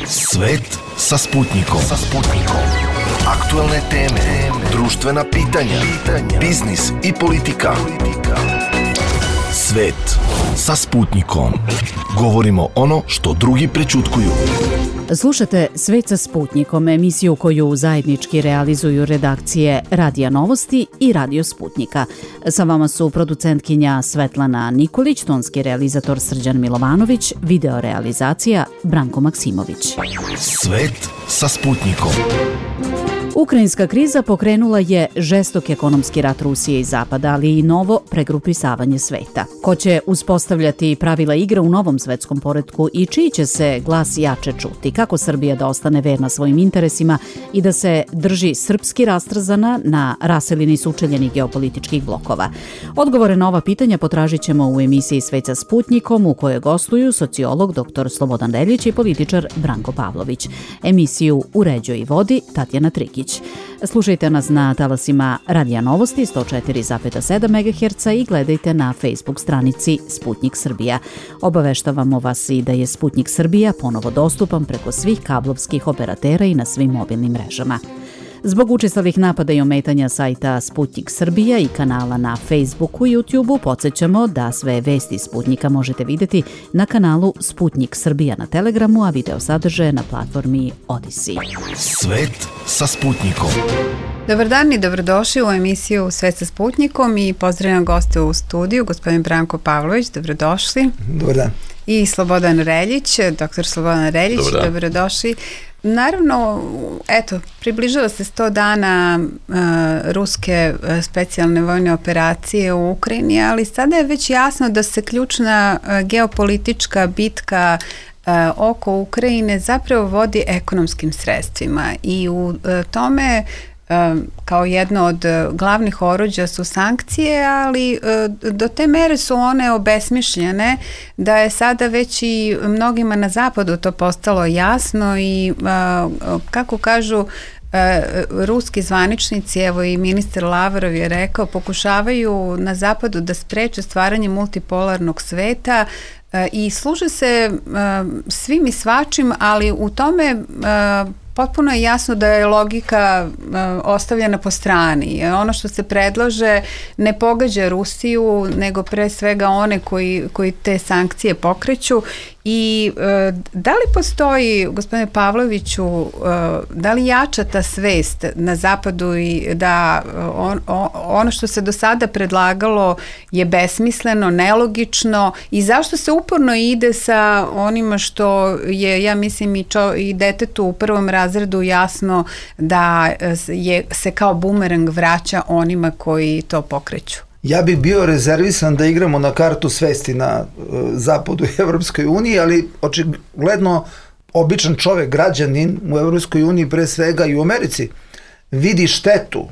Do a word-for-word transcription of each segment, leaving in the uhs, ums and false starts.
Svet sa Sputnikom. Sa Sputnikom. Aktuelne teme, društvena pitanja, biznis i politika. Svet sa Sputnikom. Govorimo ono što drugi prećutkuju. Slušate Svet sa Sputnikom, emisiju koju zajednički realizuju redakcije Radija Novosti i Radio Sputnika. Sa vama su producentkinja Svetlana Nikolić, tonski realizator Srđan Milovanović, video realizacija Branko Maksimović. Svet sa Sputnikom. Ukrajinska kriza pokrenula je žestok ekonomski rat Rusije i Zapada, ali i novo pregrupisavanje sveta. Ko će uspostavljati pravila igre u novom svetskom poretku i čiji će se glas jače čuti? Kako Srbija da ostane verna svojim interesima i da se drži srpski rastrzana na raselini sučeljenih geopolitičkih blokova? Odgovore na ova pitanja potražit ćemo u emisiji Svet sa Sputnikom, u kojoj gostuju sociolog dr Slobodan Reljić i političar Branko Pavlović. Emisiju uređuje i vodi Tatjana Trikić. Slušajte nas na talasima Radija Novosti sto četiri zarez sedam megaherca i gledajte na Facebook stranici Sputnik Srbija. Obaveštavamo vas i da je Sputnik Srbija ponovo dostupan preko svih kablovskih operatera i na svim mobilnim mrežama. Zbog učestalih napada i ometanja sajta Sputnik Srbija i kanala na Facebooku i YouTubeu, podsjećamo da sve vesti Sputnika možete vidjeti na kanalu Sputnik Srbija na Telegramu, a video sadržaje na platformi Odisi. Svet sa Sputnikom. Dobar dan i dobrodošli u emisiju Svet sa Sputnikom i pozdravljam goste u studiju, gospodin Branko Pavlović, dobrodošli. Dobar dan. I Slobodan Reljić, doktor Slobodan Reljić, Dobar dobrodošli. Naravno, eto, približava se sto dana uh, ruske uh, specijalne vojne operacije u Ukrajini, ali sada je već jasno da se ključna uh, geopolitička bitka uh, oko Ukrajine zapravo vodi ekonomskim sredstvima i u uh, tome kao jedno od glavnih oruđa su sankcije, ali do te mere su one obesmišljene da je sada već i mnogima na zapadu to postalo jasno i kako kažu ruski zvaničnici, evo i ministar Lavrov je rekao, pokušavaju na zapadu da spreče stvaranje multipolarnog sveta i služe se svim i svačim, ali u tome potpuno je jasno da je logika uh, ostavljena po strani. Ono što se predlaže ne pogađa Rusiju, nego pre svega one koji, koji te sankcije pokreću. I uh, da li postoji, gospodine Pavloviću, uh, da li jača ta svest na zapadu i da on, on, ono što se do sada predlagalo je besmisleno, nelogično i zašto se uporno ide sa onima što je, ja mislim, i, čo, i detetu u prvom razredu jasno da je, se kao bumerang vraća onima koji to pokreću? Ja bih bio rezervisan da igramo na kartu svesti na uh, zapadu i Evropskoj uniji, ali očigledno običan čovek, građanin u Evropskoj uniji pre svega i u Americi vidi štetu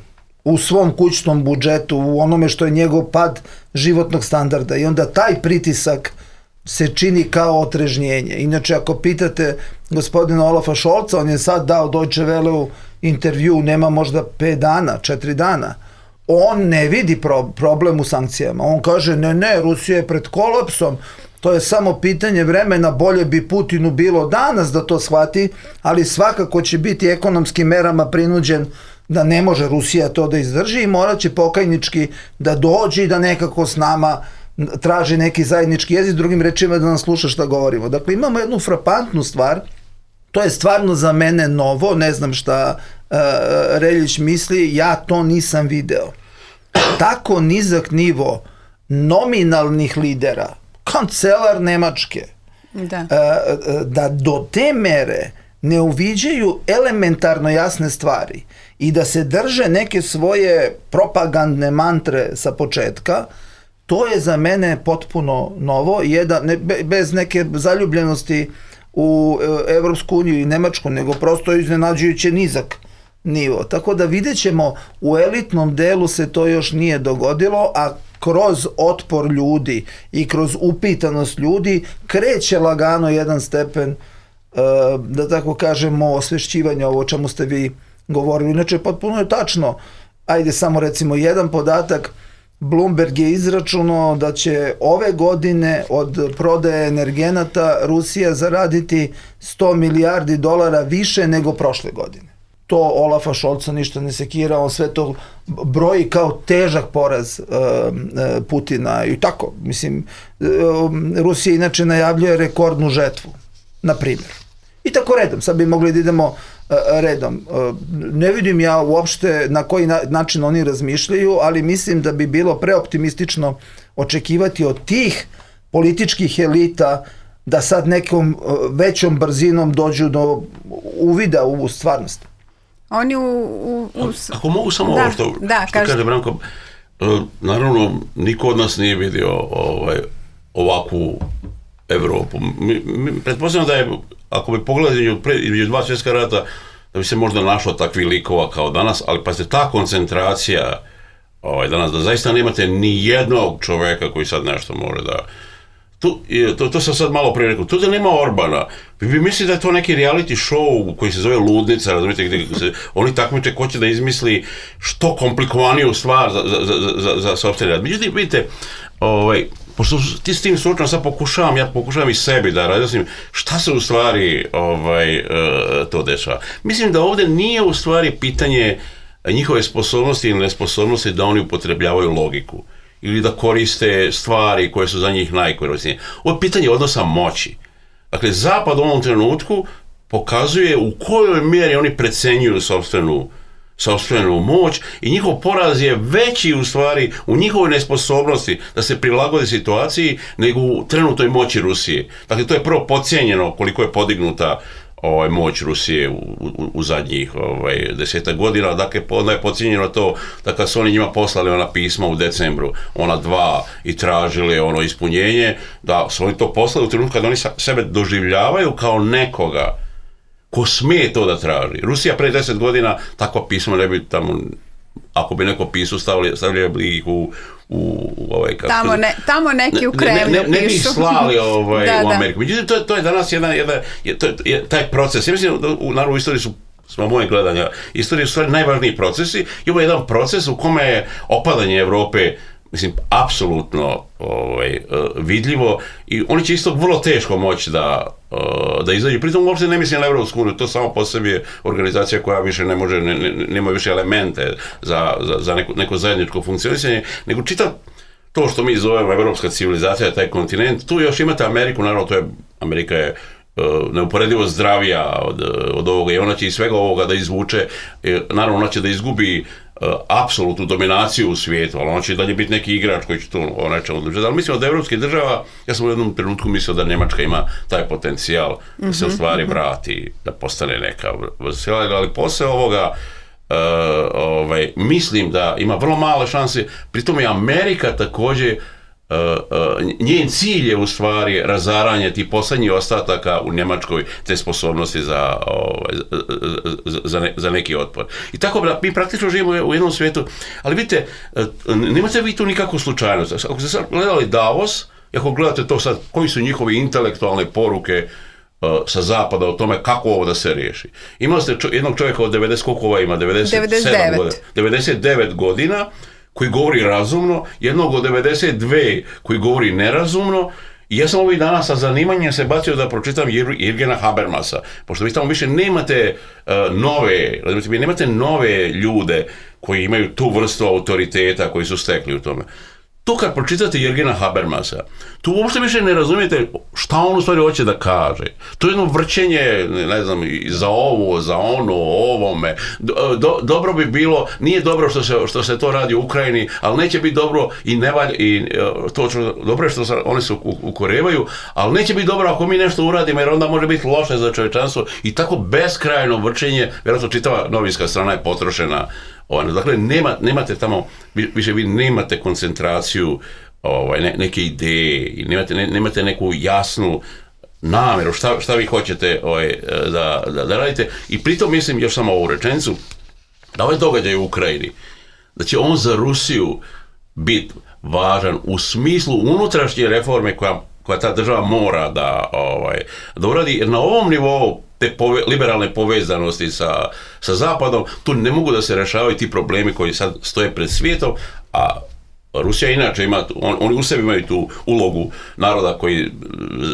u svom kućnom budžetu, u onome što je njegov pad životnog standarda i onda taj pritisak se čini kao otrežnjenje. Inače, ako pitate gospodina Olafa Šolca, on je sad dao Deutsche Welleu intervju, nema možda pet dana, četiri dana, on ne vidi pro, problem u sankcijama. On kaže, ne, ne, Rusija je pred kolapsom, to je samo pitanje vremena, bolje bi Putinu bilo danas da to shvati, ali svakako će biti ekonomskim merama prinuđen da ne može Rusija to da izdrži i morat će pokajnički da dođe i da nekako s nama traži neki zajednički jezik, drugim rečima da nam sluša šta govorimo. Dakle, imamo jednu frapantnu stvar, to je stvarno za mene novo, ne znam šta uh, Reljić misli, ja to nisam video. Tako nizak nivo nominalnih lidera, kancelar Nemačke, da. Uh, da do te mere ne uviđaju elementarno jasne stvari i da se drže neke svoje propagandne mantre sa početka, to je za mene potpuno novo, jedan, ne, bez neke zaljubljenosti u Evropsku uniju i Nemačku, nego prosto iznenađujuće nizak nivo. Tako da vidjet ćemo, u elitnom delu se to još nije dogodilo, a kroz otpor ljudi i kroz upitanost ljudi kreće lagano jedan stepen, da tako kažemo, osvešćivanja ovo o čemu ste vi govorili. Inače, potpuno je tačno, ajde samo recimo jedan podatak, Bloomberg je izračunao da će ove godine od prodaje energenata Rusija zaraditi sto milijardi dolara više nego prošle godine. To Olafa Šolca ništa ne sekira, on sve to broji kao težak poraz uh, Putina i tako. Mislim, uh, Rusija inače najavljuje rekordnu žetvu, na primjer. I tako redom, sad bi mogli da idemo uh, redom. Uh, ne vidim ja uopšte na koji na, način oni razmišljaju, ali mislim da bi bilo preoptimistično očekivati od tih političkih elita da sad nekom uh, većom brzinom dođu do uvida u stvarnost. Oni u... u, u... Ako mogu samo da, ovo što, da, što kaže Branko, naravno niko od nas nije vidio ovaj, ovakvu Evropu. Mi, mi, pretpostavljam da je, ako bi pogledali između dva svjetska rata, da bi se možda našlo takvih likova kao danas, ali pa se ta koncentracija ovaj, danas, da zaista nemate ni jednog čoveka koji sad nešto može da... Tu, to, to sam sad malo prije rekao, tu da nema Orbana, vi bi mislili da je to neki reality show koji se zove Ludnica, razumijete, gdje se oni takmiče ko će da izmisli što komplikovaniju stvar za, za, za, za, za sopstveni rad. Međutim, vidite, ovaj, pošto ti s tim slučajno sad pokušavam, ja pokušavam i sebi da razjasnim šta se u stvari ovaj, uh, to dešava. Mislim da ovdje nije u stvari pitanje njihove sposobnosti ili nesposobnosti da oni upotrebljavaju logiku ili da koriste stvari koje su za njih najkorisnije. Ovo je pitanje odnosa moći. Dakle, Zapad u ovom trenutku pokazuje u kojoj mjeri oni precenjuju sopstvenu, sopstvenu moć i njihov poraz je veći u stvari u njihovoj nesposobnosti da se prilagode situaciji nego u trenutnoj moći Rusije. Dakle, to je prvo podcijenjeno koliko je podignuta ovaj, moć Rusije u, u, u zadnjih ovaj, desetak godina. Dakle, onda je podcijenjeno to da kad su oni njima poslali ona pisma u decembru, ona dva, i tražili ono ispunjenje, da su oni to poslali u trenutku kad oni sebe doživljavaju kao nekoga ko smije to da traži. Rusija pre deset godina takva pisma ne bi tamo, ako bi neko pisao, stavili, stavili bi ih u, u, u ovaj, kako tamo, ne, tamo neki u Kremlju ne, ne, ne, ne bi ih slali ovaj, da, u Ameriku. Da. Međutim, to, to je danas jedan, jedan je, to je, taj proces. Ja mislim da u, naravno, u istoriji su, smo moje gledanja, istoriji su stvari najvažniji procesi i ovo je jedan proces u kome je opadanje Evrope, mislim, apsolutno ovaj, vidljivo i oni će isto vrlo teško moći da, da izađu. Pritom uopšte ne mislim na Evropsku uniju, to samo po sebi je organizacija koja više ne može, ne, ne, nema više elemente za, za, za neko, neko zajedničko funkcionisanje, nego čitav to što mi zovemo evropska civilizacija, taj kontinent, tu još imate Ameriku, naravno to je, Amerika je neuporedivo zdravija od, od ovoga i ona će iz svega ovoga da izvuče, naravno ona će da izgubi uh, apsolutnu dominaciju u svijetu, ali ona će dalje biti neki igrač koji će to o nečemu odlučiti. Ali mislim od evropskih država, ja sam u jednom trenutku mislio da Njemačka ima taj potencijal mm-hmm. da se u stvari vrati, da postane neka sila, ali posle ovoga uh, ovaj, mislim da ima vrlo male šanse, pritom je Amerika također. Uh, uh, njen cilj je u stvari razaranje tih poslednjih ostataka u Njemačkoj te sposobnosti za, ovaj, za, za, ne, za neki otpor. I tako mi praktično živimo u jednom svijetu, ali vidite, uh, nemate vi tu nikakvu slučajnost. Ako ste sad gledali Davos, ako gledate to sad, koji su njihove intelektualne poruke uh, sa zapada o tome kako ovo da se riješi. Imali ste čo, jednog čovjeka od devedeset, koliko ova ima? devedeset sedam godina. devedeset devet godina, koji govori razumno, jednog od devedeset dve koji govori nerazumno, i ja sam ovih dana sa zanimanjem se bacio da pročitam Jürgena Habermasa, pošto vi tamo više nemate uh, nove, vi nemate nove ljude koji imaju tu vrstu autoriteta koji su stekli u tome. To kad pročitate Jürgena Habermasa, tu uopšte više ne razumijete šta on u stvari hoće da kaže. To je jedno vrćenje, ne znam, za ovo, za ono, ovome. Do, do, dobro bi bilo, nije dobro što se, što se to radi u Ukrajini, ali neće biti dobro i ne valj, i to što, dobro je što se, oni se ukorevaju, ali neće biti dobro ako mi nešto uradimo, jer onda može biti loše za čovječanstvo. I tako beskrajno vrćenje, vjerojatno čitava novinska strana je potrošena. Dakle, nema, nemate tamo, više vi nemate koncentraciju ovaj, ne, neke ideje, nemate, ne, nemate neku jasnu namjeru šta, šta vi hoćete ovaj, da, da, da radite. I pritom mislim još samo ovu rečenicu, da ovaj događaj u Ukrajini, da će on za Rusiju biti važan u smislu unutrašnje reforme koja, koja ta država mora da, ovaj, da uradi, jer na ovom nivou te pove, liberalne povezanosti sa, sa Zapadom, tu ne mogu da se rešavaju ti problemi koji sad stoje pred svijetom, a Rusija inače ima, on, oni u sebi imaju tu ulogu naroda koji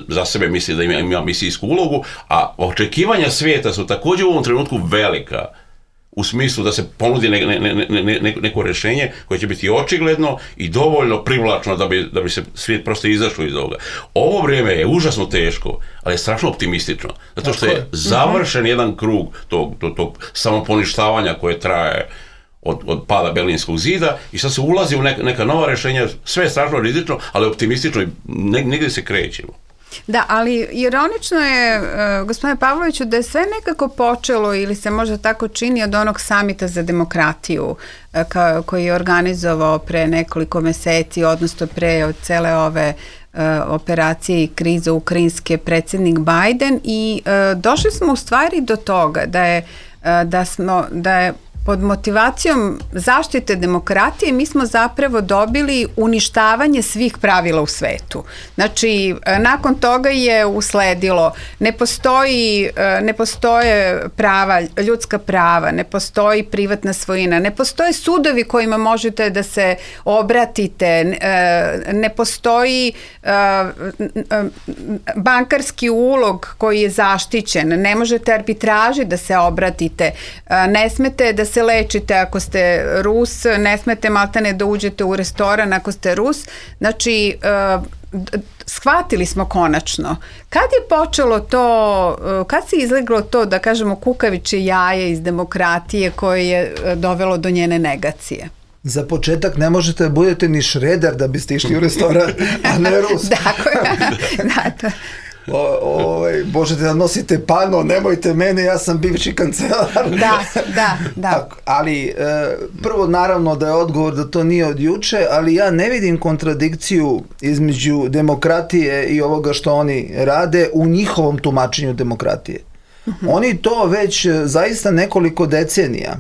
za sebe misli da ima, ima misijsku ulogu, a očekivanja svijeta su također u ovom trenutku velika, u smislu da se ponudi ne, ne, ne, ne, neko rješenje koje će biti očigledno i dovoljno privlačno da bi, da bi se svijet prosto izašao iz ovoga. Ovo vrijeme je užasno teško, ali je strašno optimistično, zato što je završen jedan krug tog, tog, tog samoponištavanja koje traje Od, od pada Berlinskog zida i sad se ulazi u neka, neka nova rješenja, sve je strašno rizično, ali optimistično i negdje se krećemo. Da, ali ironično je, uh, gospodine Pavloviću, da je sve nekako počelo ili se možda tako čini od onog samita za demokratiju uh, ka, koji je organizovao pre nekoliko meseci, odnosno pre od cele ove uh, operacije i krize ukrajinske predsjednik Biden i uh, došli smo u stvari do toga da je, uh, da smo, da je pod motivacijom zaštite demokratije mi smo zapravo dobili uništavanje svih pravila u svetu. Znači, nakon toga je usledilo, ne postoji, ne postoje prava, ljudska prava, ne postoji privatna svojina, ne postoje sudovi kojima možete da se obratite, ne postoji bankarski ulog koji je zaštićen, ne možete arbitraži da se obratite, ne smete da se lečite ako ste Rus, ne smete maltene da uđete u restoran ako ste Rus. Znači, uh, shvatili smo konačno. Kad je počelo to, uh, kad se izleglo to, da kažemo, kukavičje jaje iz demokratije koje je dovelo do njene negacije? Za početak ne možete da budete ni Šreder da biste išli u restoran, a ne Rus. Tako je. Da, to. O, ovaj, možete da nosite pano, nemojte mene, ja sam bivši kancelar. Da, da, da. Ali e, prvo naravno da je odgovor da to nije od juče, ali ja ne vidim kontradikciju između demokratije i ovoga što oni rade u njihovom tumačenju demokratije. Uh-huh. Oni to već zaista nekoliko decenija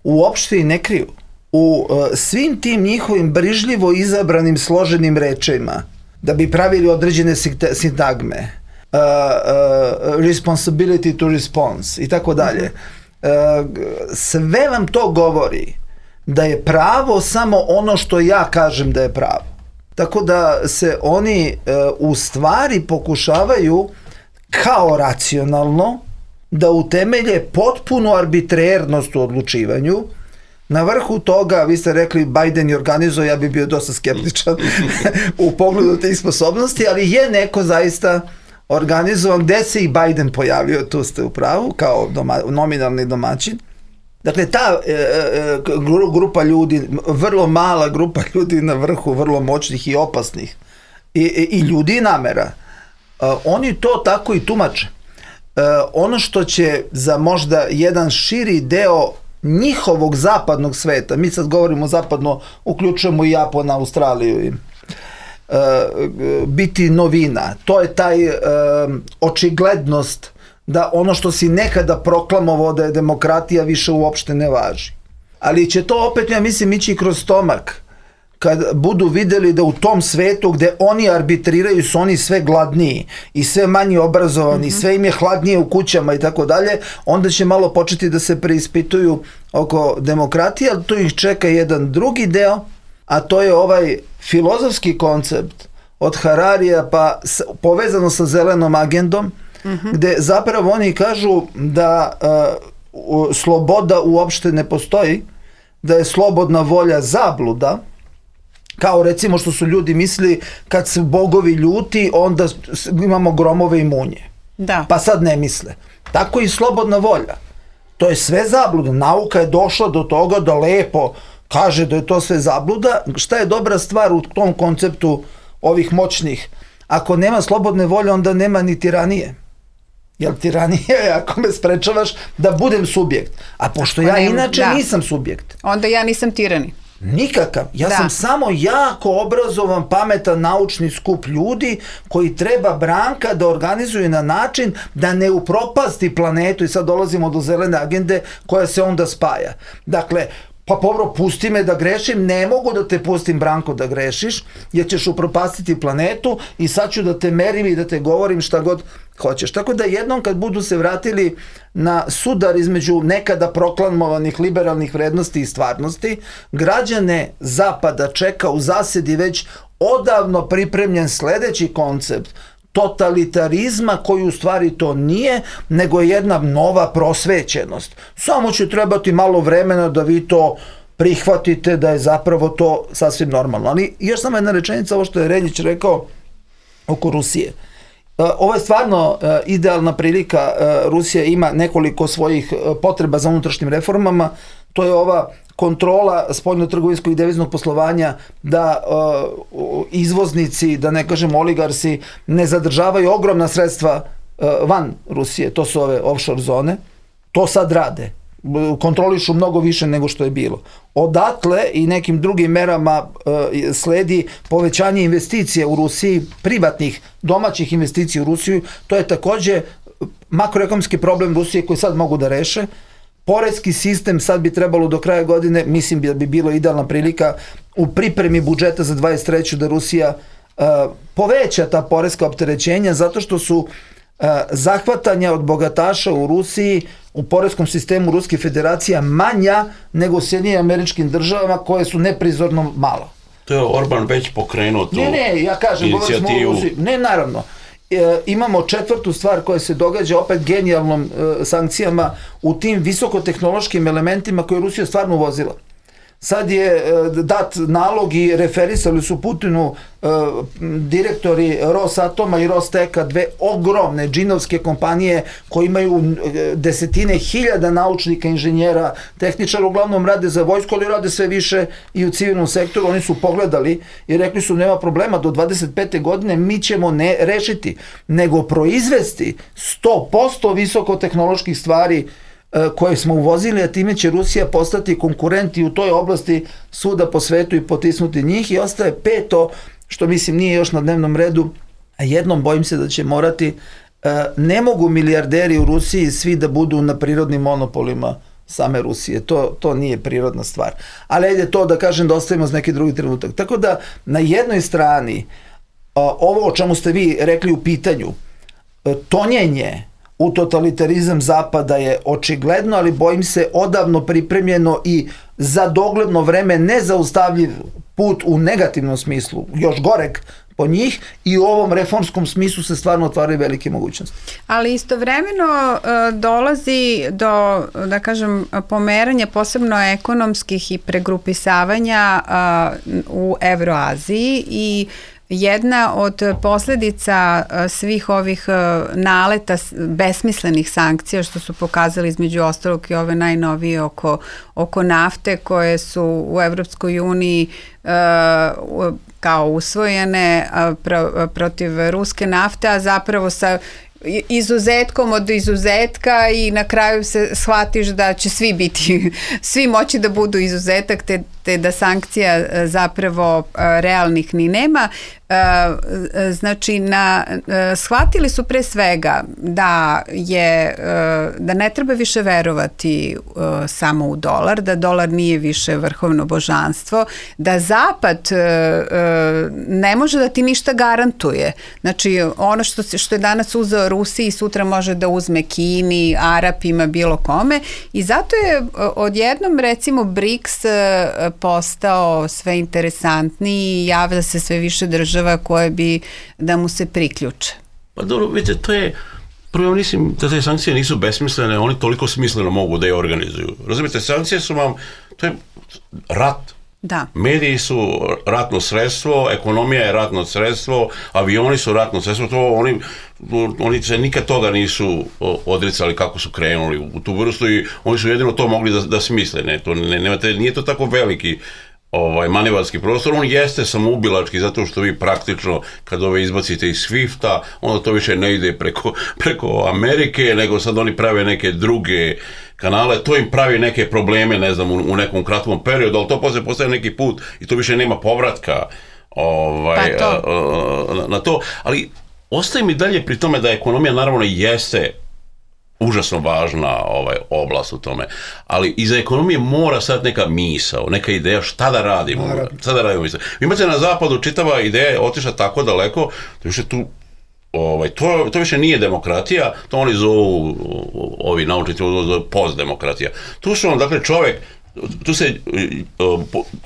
uopšte i ne kriju. U e, svim tim njihovim brižljivo izabranim složenim rečima da bi pravili određene sintagme, uh, uh, responsibility to response i tako dalje. Uh, sve vam to govori da je pravo samo ono što ja kažem da je pravo. Tako da se oni uh, u stvari pokušavaju kao racionalno da utemelje potpunu arbitrernost u odlučivanju. Na vrhu toga, vi ste rekli Biden je organizovao, ja bi bio dosta skeptičan u pogledu tih sposobnosti, ali je neko zaista organizovan, gde se i Biden pojavio, tu ste u pravu, kao doma, nominalni domaćin. Dakle, ta e, e, grupa ljudi, vrlo mala grupa ljudi na vrhu, vrlo moćnih i opasnih, i, i, i ljudi namera, e, oni to tako i tumače. E, ono što će za možda jedan širi deo njihovog zapadnog sveta, mi sad govorimo zapadno, uključujemo i Japon, Australiju, i, e, biti novina. To je taj e, očiglednost da ono što si nekada proklamovao da je demokratija više uopšte ne važi. Ali će to opet, ja mislim, ići kroz stomak. Kad budu videli da u tom svetu gde oni arbitriraju su oni sve gladniji i sve manje obrazovani, mm-hmm. sve im je hladnije u kućama i tako dalje, onda će malo početi da se preispituju oko demokratije, ali tu ih čeka jedan drugi deo, a to je ovaj filozofski koncept od Hararija pa s, povezano sa zelenom agendom, mm-hmm. gde zapravo oni kažu da uh, sloboda uopšte ne postoji, da je slobodna volja zabluda, kao recimo što su ljudi mislili kad su bogovi ljuti onda imamo gromove i munje. Da. Pa sad ne misle. Tako i slobodna volja. To je sve zabluda. Nauka je došla do toga da lepo kaže da je to sve zabluda. Šta je dobra stvar u tom konceptu ovih moćnih? Ako nema slobodne volje, onda nema ni tiranije. Jer tiranija je ako me sprečavaš da budem subjekt. A pošto ja inače da. nisam subjekt. Onda ja nisam tirani. Nikakav. Ja da. sam samo jako obrazovan, pametan, naučni skup ljudi koji treba Branka da organizuje na način da ne upropasti planetu, i sad dolazimo do zelene agende koja se onda spaja. Dakle, pa povro, pusti me da grešim, ne mogu da te pustim, Branko, da grešiš, jer ćeš upropastiti planetu i sad ću da te merim i da te govorim šta god hoćeš. Tako da jednom kad budu se vratili na sudar između nekada proklamovanih liberalnih vrednosti i stvarnosti, građane Zapada čeka u zasedi već odavno pripremljen sledeći koncept totalitarizma koji u stvari to nije, nego je jedna nova prosvećenost. Samo će trebati malo vremena da vi to prihvatite da je zapravo to sasvim normalno. Ali još samo jedna rečenica, ovo što je Reljić rekao oko Rusije. Ovo je stvarno idealna prilika. Rusija ima nekoliko svojih potreba za unutrašnjim reformama. To je ova kontrola spoljno-trgovinskog i deviznog poslovanja, da uh, izvoznici, da ne kažem oligarsi, ne zadržavaju ogromna sredstva uh, van Rusije. To su ove offshore zone. To sad rade. Kontrolišu mnogo više nego što je bilo. Odatle i nekim drugim merama uh, sledi povećanje investicija u Rusiji, privatnih, domaćih investicija u Rusiju. To je takođe makroekonomski problem Rusije koji sad mogu da reše. Poreski sistem sad bi trebalo do kraja godine, mislim da bi bilo idealna prilika u pripremi budžeta za dvadeset treću da Rusija uh, poveća ta poreska opterećenja, zato što su uh, zahvatanja od bogataša u Rusiji u poreskom sistemu Ruske federacija manja nego u Sjedinjenim Američkim Državama koje su neprizorno malo. To je Orban već pokrenuo tu ne, ne, ja kažem, inicijativu. Ne, naravno. E, imamo četvrtu stvar koja se događa opet genijalnom e, sankcijama u tim visokotehnološkim elementima koje je Rusija stvarno uvozila. Sad je e, dat nalog i referisali su Putinu e, direktori Rosatoma i Rosteka, dve ogromne džinovske kompanije koje imaju e, desetine hiljada naučnika, inženjera, tehničara, uglavnom rade za vojsku, ali rade sve više i u civilnom sektoru. Oni su pogledali i rekli su nema problema, do dvadeset pete godine mi ćemo ne rešiti, nego proizvesti sto posto visokotehnoloških stvari koje smo uvozili, a time će Rusija postati konkurent i u toj oblasti svuda po svetu i potisnuti njih. I ostaje peto, što mislim nije još na dnevnom redu, a jednom bojim se da će morati, ne mogu milijarderi u Rusiji svi da budu na prirodnim monopolima same Rusije, to, to nije prirodna stvar. Ali ajde to da kažem da ostavimo za neki drugi trenutak. Tako da na jednoj strani ovo o čemu ste vi rekli u pitanju, tonjenje u totalitarizam Zapada je očigledno, ali bojim se odavno pripremljeno i za dogledno vreme nezaustavljiv put u negativnom smislu, još goreg po njih, i u ovom reformskom smislu se stvarno otvaraju velike mogućnosti. Ali istovremeno uh, dolazi do, da kažem, pomeranja posebno ekonomskih i pregrupisavanja uh, u Evroaziji i jedna od posledica svih ovih naleta besmislenih sankcija što su pokazali između ostalog i ove najnovije oko, oko nafte koje su u Evropskoj uniji uh, kao usvojene uh, pro, protiv ruske nafte, a zapravo sa izuzetkom od izuzetka i na kraju se shvatiš da će svi biti, svi moći da budu izuzetak, te, te da sankcija zapravo realnih ni nema. Znači, na, shvatili su pre svega da je, da ne treba više verovati samo u dolar, da dolar nije više vrhovno božanstvo, da Zapad ne može da ti ništa garantuje. Znači, ono što, što je danas uzeo Rusiji, sutra može da uzme Kini, Arapima, bilo kome, i zato je odjednom recimo BRICS postao sve interesantniji i javlja se sve više država koje bi da mu se priključe. Pa dobro, vidite, to je, prvo mislim da te sankcije nisu besmislene, oni toliko smisleno mogu da je organizuju. Razumijete, sankcije su vam, to je rat. Da. Mediji su ratno sredstvo, ekonomija je ratno sredstvo, avioni su ratno sredstvo, to oni, oni se nikad toga nisu odricali kako su krenuli u tu vrstu i oni su jedino to mogli da, da smisle. Ne, to, ne, nemate, nije to tako veliki ovaj, manevarski prostor, on jeste samoubilački zato što vi praktično kad ove izbacite iz Swifta, onda to više ne ide preko, preko Amerike, nego sad oni prave neke druge kanale, to im pravi neke probleme, ne znam, u, u nekom kratkom periodu, ali to posle postaje neki put i to više nema povratka ovaj, pa to. A, a, na, na to, ali ostaje mi dalje pri tome da ekonomija naravno jeste užasno važna ovaj, oblast u tome, ali iza ekonomije mora sad neka misao, neka ideja šta da radimo. Šta da radimo misao. Vi imate na zapadu čitava ideja je otišla tako daleko da više tu ovaj, to, to više nije demokratija, to oni zovu, ovi naučnici, postdemokratija. Tu su on, dakle, čovjek, tu se,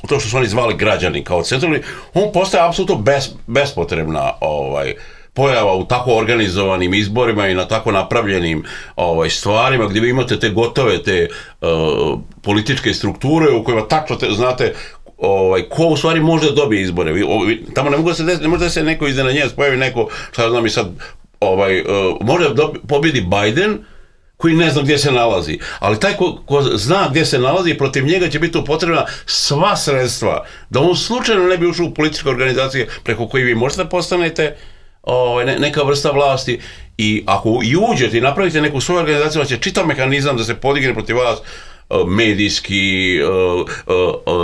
to što su oni zvali građani kao centralni, on postaje apsolutno bes, bespotrebna ovaj, pojava u tako organizovanim izborima i na tako napravljenim ovaj, stvarima gdje vi imate te gotove, te uh, političke strukture u kojima tačno te, znate ovaj, ko u stvari može da dobije izbore. Vi, ovaj, tamo ne, mogu da se des, ne može da se neko iznenađenje pojavi neko, šta znam i sad, ovaj, uh, može da pobjedi Biden, koji ne zna gdje se nalazi, ali taj ko, ko zna gdje se nalazi, protiv njega će biti potrebna sva sredstva, da on slučajno ne bi ušao u političke organizacije preko koje vi možete da postanete ovaj, ne, neka vrsta vlasti, i ako i uđete i napravite neku svoju organizaciju, će čitav mehanizam da se podigne protiv vas, medijski,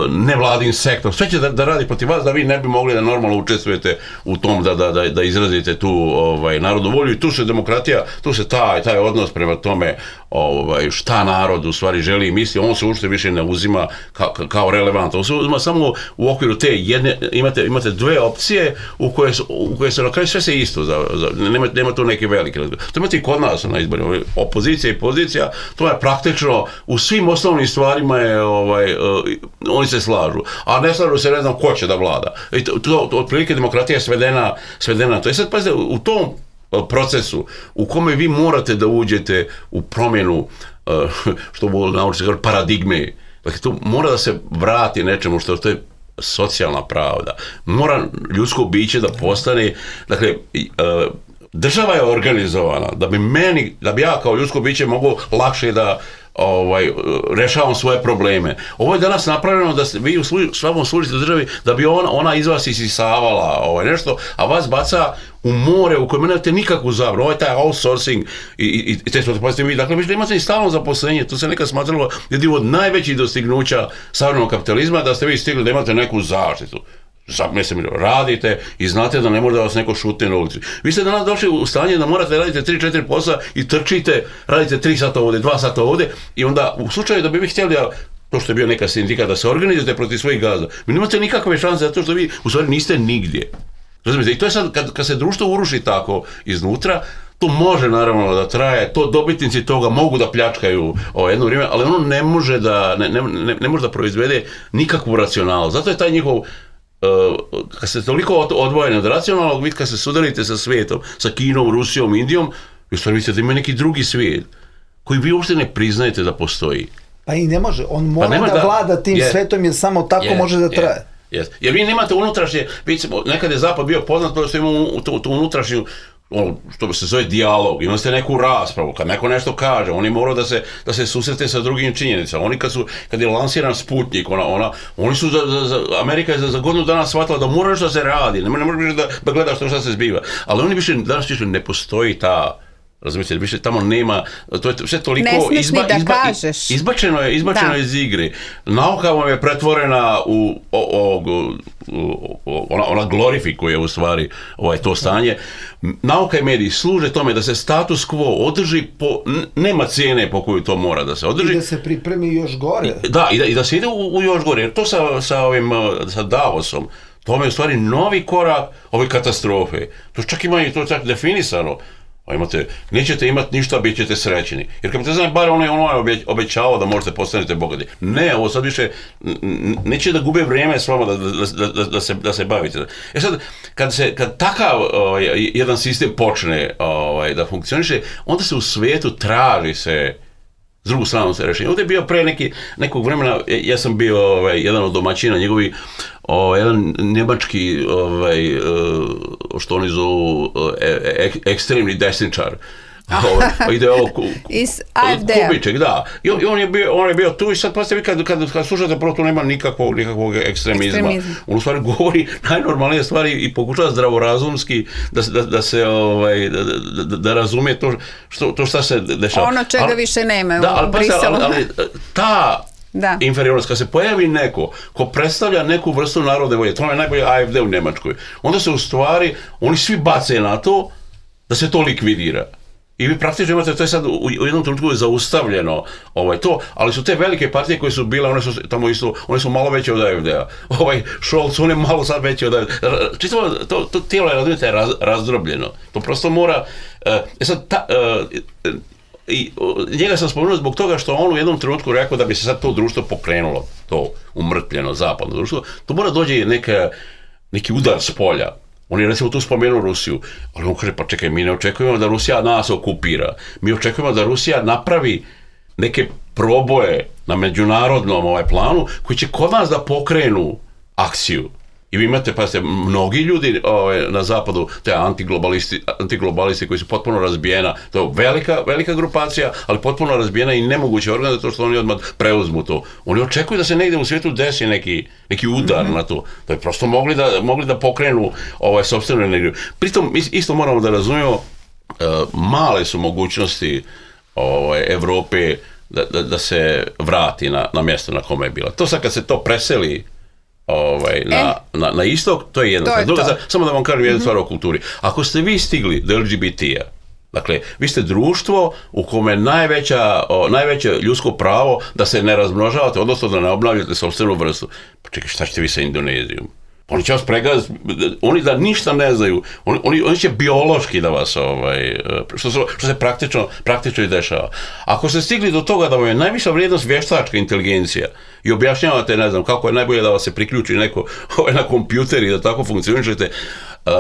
nevladin sektor, sve će da, da radi protiv vas da vi ne bi mogli da normalno učestvujete u tom da, da, da, da izrazite tu ovaj, narodnu volju, i tu se demokratija, tu se taj, taj odnos prema tome ovaj, šta narod u stvari želi i misli, on se uopšte više ne uzima kao, kao relevant, on se uzima samo u okviru te jedne, imate, imate dve opcije u koje, u koje se na kraju sve se isto, za, za, nema, nema tu neke velike, to imate i kod nas na izborima, opozicija i pozicija, to je praktično u svim osnovnim stvarima je, ovaj, uh, oni se slažu, a ne slažu se, ne znam ko će da vlada. I to, to, otprilike demokratija je svedena, svedena to. I sad, pazite, u tom procesu u kome vi morate da uđete u promjenu, uh, što bu nauči se kaže, paradigme, dakle, to mora da se vrati nečemu što to je socijalna pravda. Mora ljudsko biće da postane, dakle, uh, država je organizovana da bi meni, da bi ja kao ljudsko biće mogao lakše da ovaj, rešavam svoje probleme. Ovo je danas napravljeno da vi u svakom služite državi da bi ona, ona iz vas isisavala ovaj, nešto, a vas baca u more u kojem nemate nikakvu zabranu. Ovo je taj outsourcing i, i, i te što te vi. Dakle, vi imate i stalno zaposlenje. To se nekad smatralo jednim od najvećih dostignuća savremenog kapitalizma, da ste vi stigli da imate neku zaštitu. Mislim, radite i znate da ne može da vas neko šutne na ulici. Vi ste danas došli u stanje da morate da radite tri četiri posla i trčite, radite tri sata ovdje, dva sata ovdje, i onda u slučaju da bi vi htjeli da, to što je bio neka sindikat, da se organizujete protiv svojih gazda, vi nemate nikakve šanse zato što vi u stvari niste nigdje. Razumijete? I to je sad, kad, kad se društvo uruši tako iznutra, to može naravno da traje, to dobitnici toga mogu da pljačkaju o jedno vrijeme, ali ono ne može da, ne, ne, ne, ne može da proizvede nikakvu racionalnost. Zato je taj njihov, Uh, kad ste toliko odvojeni od racionalnog, vidite kad se sudarite sa svijetom, sa Kinom, Rusijom, Indijom, vi stvari mislite da ima neki drugi svijet koji vi uopšte ne priznajete da postoji. Pa i ne može, on mora pa da, da vlada tim je, svijetom jer samo tako je, može da traje. Je, je. Jer vi nemate unutrašnje, vidite, nekad je Zapad bio poznat što ima tu, tu unutrašnju, ono što se zove dijalog, imali ste neku raspravu, kad neko nešto kaže, oni moraju da se, da se susrete sa drugim činjenicama. Oni kad su, kad je lansiran Sputnik, ona, ona, oni su, za, za, za, Amerika je za, za godinu dana shvatila da mora što se radi, ne, ne može više da, da gledaš što se zbiva. Ali oni više, danas više ne postoji ta, razumijete, više tamo nema, to je sve toliko izba, izba, izbačeno je, izbačeno je iz igre. Nauka vam je pretvorena u, o, o, o, ona, ona glorifikuje u stvari ovaj, to stanje. Nauka i mediji služe tome da se status quo održi, po, nema cijene po koju to mora da se održi. I da se pripremi još gore. Da, i da, i da se ide u, u još gore. Jer to sa, sa, ovim, sa Davosom, to je u stvari novi korak ove katastrofe. To čak ima i to čak definisano. Imate, nećete imati ništa, bit ćete srećeni. Jer kad te znam, bar ono je ono obećavao da možete postanete bogati. Ne, ovo sad više neće da gube vrijeme s vama da, da, da, da, se, da se bavite. E sad, kad, se, kad takav ovaj, jedan sistem počne ovaj, da funkcioniše, onda se u svijetu traži se s drugu stranu se rešenje. Ovdje je bio pre neki, nekog vremena, ja sam bio ovaj, jedan od domaćina, njegovi, ovaj, jedan njemački, ovaj, što oni zovu, ek, ekstremni desničar. Ovaj, ide ovo ku, iz A F D-a. Kubiček, da. I on, on, je bio, on je bio tu i sad pa ste vi kad, kad, kad slušate prvo tu nema nikakvog, nikakvog ekstremizma. Ekstremizm. On u stvari govori najnormalnije stvari i pokušava zdravorazumski da, da, da se ovaj, da, da, da razumije to što, to šta se dešava. Ono čega ali, više nema da, u Briselu. Ali, ali ta da. inferiornost, kad se pojavi neko ko predstavlja neku vrstu narodne volje, to je najbolje A F D u Njemačkoj, onda se u stvari oni svi bace na to da se to likvidira. I vi praktično imate, to je sad u, u jednom trenutku zaustavljeno ovaj, to, ali su te velike partije koje su bile, one su tamo isto, one su malo veće od A F D-a. Ovaj Scholz, on je malo sad veći od A F D-a. Čitavo, to, to tijelo je, razumijete, raz, razdrobljeno. To prosto mora, e sad, ta, e, i njega sam spomenuo zbog toga što on u jednom trenutku rekao da bi se sad to društvo pokrenulo, to umrtvljeno zapadno društvo, to mora dođe neka, neki udar s polja. On je recimo tu spomenuo Rusiju, ali on kaže, pa čekaj, mi ne očekujemo da Rusija nas okupira, mi očekujemo da Rusija napravi neke proboje na međunarodnom ovaj planu koji će kod nas da pokrenu akciju. I vi imate, pa ste, mnogi ljudi ovaj, na zapadu, te antiglobalisti, antiglobalisti koji su potpuno razbijena, to je velika, velika grupacija, ali potpuno razbijena i nemoguće organ zato što oni odmah preuzmu to. Oni očekuju da se negde u svijetu desi neki, neki udar mm-hmm. na to. Da je prosto mogli da, mogli da pokrenu ovaj, sopstvenu energiju. Pritom, isto moramo da razumijemo, uh, male su mogućnosti ovaj, Evrope da, da, da se vrati na, na mjesto na kome je bila. To sad kad se to preseli Ovaj, na, e, na, na istok, to je jedna stvar. Druga stvar, samo da vam kažem jednu mm-hmm. stvar o kulturi. Ako ste vi stigli do L G B T-a, dakle, vi ste društvo u kome najveća, o, najveće ljudsko pravo da se ne razmnožavate, odnosno da ne obnavljate sopstvenu vrstu. Pa čekaj, šta ćete vi sa Indonezijom? Oni će vas pregaziti, oni da ništa ne znaju, oni, oni, oni će biološki da vas, ovaj, što, se, što se praktično, praktično i dešava. Ako ste stigli do toga da vam je najviša vrijednost vještačka inteligencija i objašnjavate, ne znam, kako je najbolje da vas se priključi neko ovaj, na kompjuter i da tako funkcionišete, uh,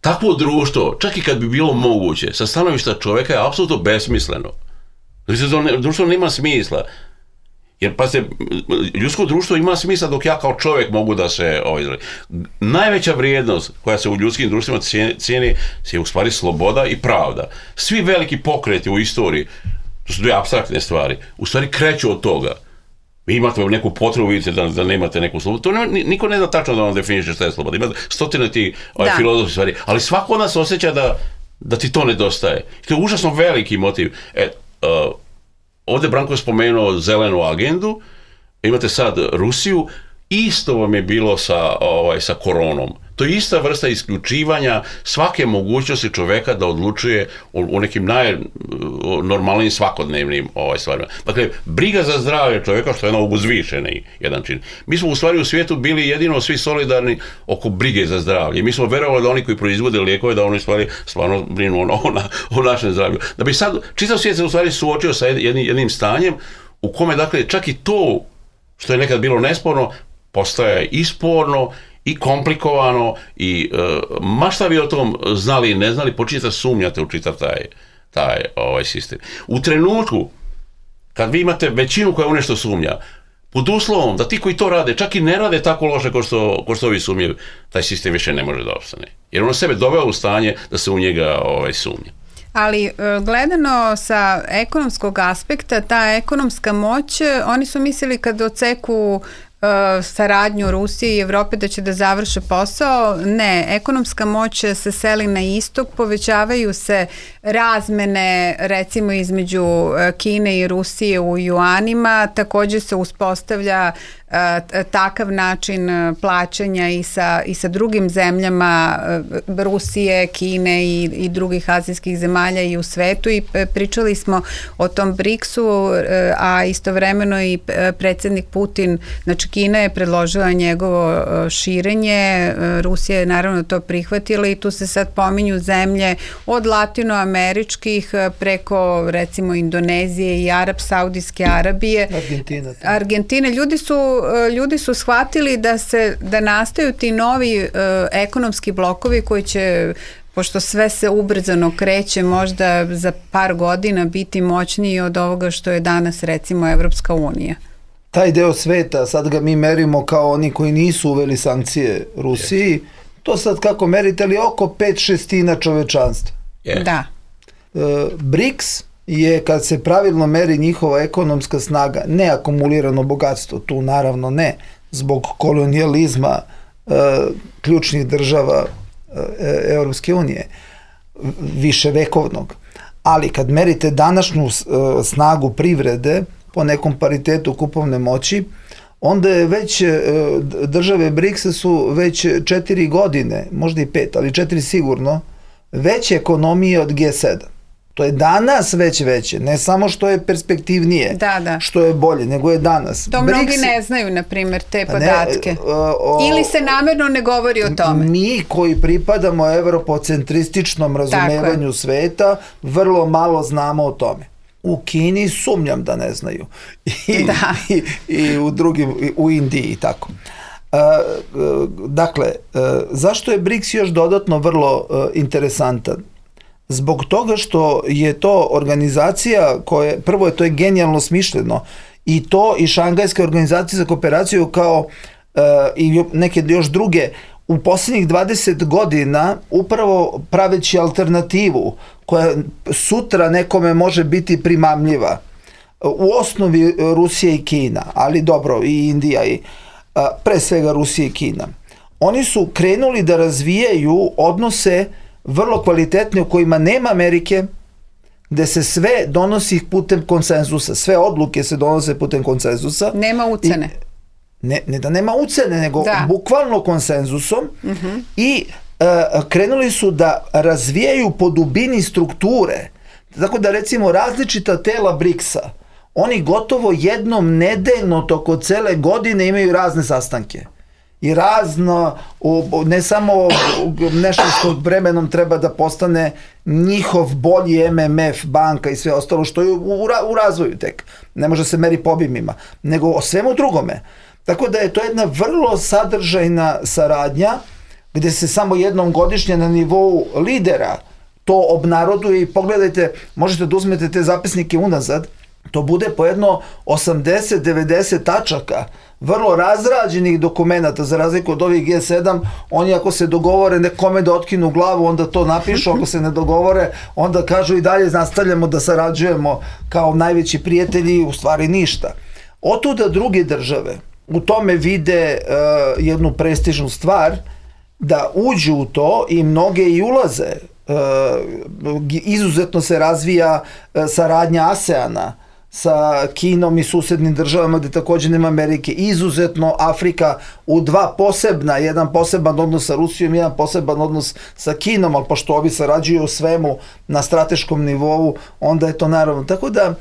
takvo društvo, čak i kad bi bilo moguće, sa stanovišta čovjeka je apsolutno besmisleno. Društvo nema smisla. Jer, pa se, ljudsko društvo ima smisla dok ja kao čovjek mogu da se ovaj, najveća vrijednost koja se u ljudskim društvima cijeni, cijeni je u stvari sloboda i pravda. Svi veliki pokreti u istoriji, to su dvije apstraktne stvari, u stvari kreću od toga. Vi imate neku potrebu, vidite da, da nemate neku slobodu. To ne, niko ne zna tačno da vam definiše šta je sloboda. Ima stotine ti ovaj, filozofskih stvari, ali svako od nas osjeća da, da ti to nedostaje. To je užasno veliki motiv. E, uh, Ovdje Branko je spomenuo zelenu agendu, imate sad Rusiju, isto vam je bilo sa, ovaj, sa koronom. To je ista vrsta isključivanja svake mogućnosti čoveka da odlučuje o, o nekim najnormalnijim svakodnevnim ovaj, stvarima. Dakle, briga za zdravlje čoveka, što je ono uzvišeni jedan čin. Mi smo u stvari u svijetu bili jedino svi solidarni oko brige za zdravlje. Mi smo verovali da oni koji proizvode lijekove, da oni u stvari stvarno brinu o, o, o našem zdravlju. Da bi sad, čitav svijet se u stvari suočio sa jednim, jednim stanjem u kome, dakle, čak i to što je nekad bilo nesporno, postaje i sporno, i komplikovano, i e, ma šta vi o tom znali i ne znali, počinjete da sumnjate u čitav taj, taj ovaj sistem. U trenutku, kad vi imate većinu koja u nešto sumnja, pod uslovom da ti koji to rade, čak i ne rade tako loše kao što, kao što ovi sumnjaju, taj sistem više ne može da ostane. Jer on sebe doveo u stanje da se u njega ovaj, sumnja. Ali gledano sa ekonomskog aspekta, ta ekonomska moć, oni su mislili kad oceku saradnju Rusije i Evrope da će da završe posao. Ne, ekonomska moć se seli na istok, povećavaju se razmene recimo između Kine i Rusije u juanima, također se uspostavlja takav način plaćanja i sa, i sa drugim zemljama Rusije, Kine i, i drugih azijskih zemalja i u svetu, i pričali smo o tom briksu, a istovremeno i predsjednik Putin, znači Kina je predložila njegovo širenje, Rusija je naravno to prihvatila i tu se sad pominju zemlje od latinoameričkih preko recimo Indonezije i Arab, Saudijske Arabije, Argentina. Argentine. Ljudi su ljudi su shvatili da se da nastaju ti novi uh, ekonomski blokovi koji će, pošto sve se ubrzano kreće, možda za par godina biti moćniji od ovoga što je danas recimo Evropska unija. Taj deo sveta, sad ga mi merimo kao oni koji nisu uveli sankcije Rusiji, to sad kako merite, ali oko pet šestina čovečanstva. Yeah. Da. Uh, BRICS je, kad se pravilno meri njihova ekonomska snaga, ne akumulirano bogatstvo, tu naravno ne, zbog kolonijalizma e, ključnih država e, Europske unije, viševekovnog. Ali kad merite današnju e, snagu privrede po nekom paritetu kupovne moći, onda je već e, države BRICS-a su već četiri godine, možda i pet, ali četiri sigurno, veće ekonomije od G sedam. To je danas već veće, ne samo što je perspektivnije, da, da. što je bolje, nego je danas. To BRICS, mnogi ne znaju, na primjer, te podatke. Ne, o, o, Ili se namjerno ne govori o tome. Mi koji pripadamo evropocentrističnom razumevanju sveta, vrlo malo znamo o tome. U Kini sumnjam da ne znaju. I, da. i, i u drugim, u Indiji i tako. Uh, uh, dakle, uh, zašto je BRICS još dodatno vrlo uh, interesantan? Zbog toga što je to organizacija koja, prvo je to je genijalno smišljeno, i to i Šangajska organizacija za kooperaciju kao uh, i neke još druge u posljednjih dvadeset godina upravo praveći alternativu koja sutra nekome može biti primamljiva. U osnovi Rusija i Kina, ali dobro i Indija i uh, pre svega Rusija i Kina. Oni su krenuli da razvijaju odnose vrlo kvalitetne u kojima nema Amerike, gde se sve donosi putem konsenzusa. Sve odluke se donose putem konsenzusa. Nema ucene. I, ne, ne da nema ucene, nego da. bukvalno konsenzusom. Uh-huh. I uh, krenuli su da razvijaju po dubini strukture. Tako da recimo različita tela BRICS-a, oni gotovo jednom nedeljno toko cele godine imaju razne sastanke. I razno, ne samo nešto što vremenom treba da postane njihov bolji M M F, banka i sve ostalo što je u, u razvoju tek. Ne može se meri po obimima, nego o svemu drugome. Tako da je to jedna vrlo sadržajna saradnja gde se samo jednom godišnje na nivou lidera to obnaroduje i pogledajte, možete da uzmete te zapisnike unazad, to bude po jedno osamdeset do devedeset tačaka, vrlo razrađenih dokumenata, za razliku od ovih G sedam, oni ako se dogovore nekome da otkinu glavu, onda to napišu, ako se ne dogovore, onda kažu i dalje nastavljamo da sarađujemo kao najveći prijatelji, u stvari ništa. Otuda druge države u tome vide uh, jednu prestižnu stvar, da uđu u to i mnoge i ulaze. Uh, izuzetno se razvija uh, saradnja ASEANA sa Kinom i susednim državama gde također nema Amerike. Izuzetno Afrika u dva posebna, jedan poseban odnos sa Rusijom, jedan poseban odnos sa Kinom, ali pošto ovi sarađuju u svemu na strateškom nivou, onda je to naravno. Tako da uh,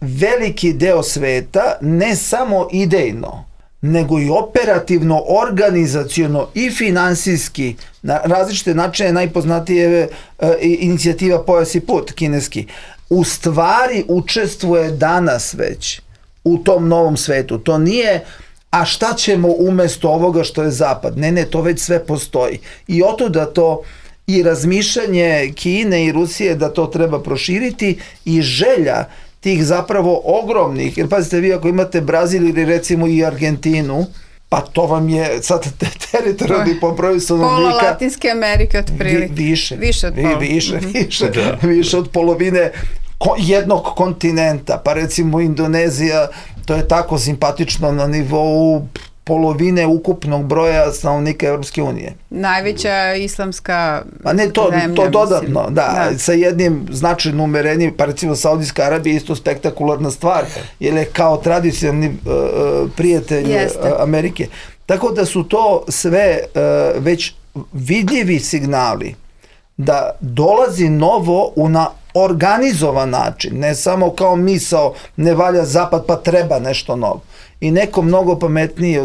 veliki deo sveta, ne samo idejno, nego i operativno, organizaciono i finansijski, na različite načine, najpoznatije je uh, inicijativa Pojas i put, kineski, u stvari učestvuje danas već u tom novom svetu. To nije, a šta ćemo umjesto ovoga što je zapad? Ne, ne, to već sve postoji. I otuda to i razmišljanje Kine i Rusije da to treba proširiti i želja tih zapravo ogromnih, jer pazite vi ako imate Brazil ili recimo i Argentinu, pa to vam je sad teritorijalni po broju stanovnika. Pola Latinske Amerike otprilike. Vi, više. Više od pola. Vi, više, mm-hmm. više, više od polovine ko, jednog kontinenta. Pa recimo Indonezija, to je tako simpatično na nivou polovine ukupnog broja stanovnika Evropske unije. Najveća islamska A ne to, zemlja, to dodatno, mislim. da, da, sa jednim značajno umerenjem, pa recimo Saudijska Arabija je isto spektakularna stvar, jer je kao tradicionalni uh, prijatelj Jeste. Amerike. Tako da su to sve uh, već vidljivi signali da dolazi novo u na organizovan način, ne samo kao misao ne valja zapad pa treba nešto novo. I neko mnogo pametniji,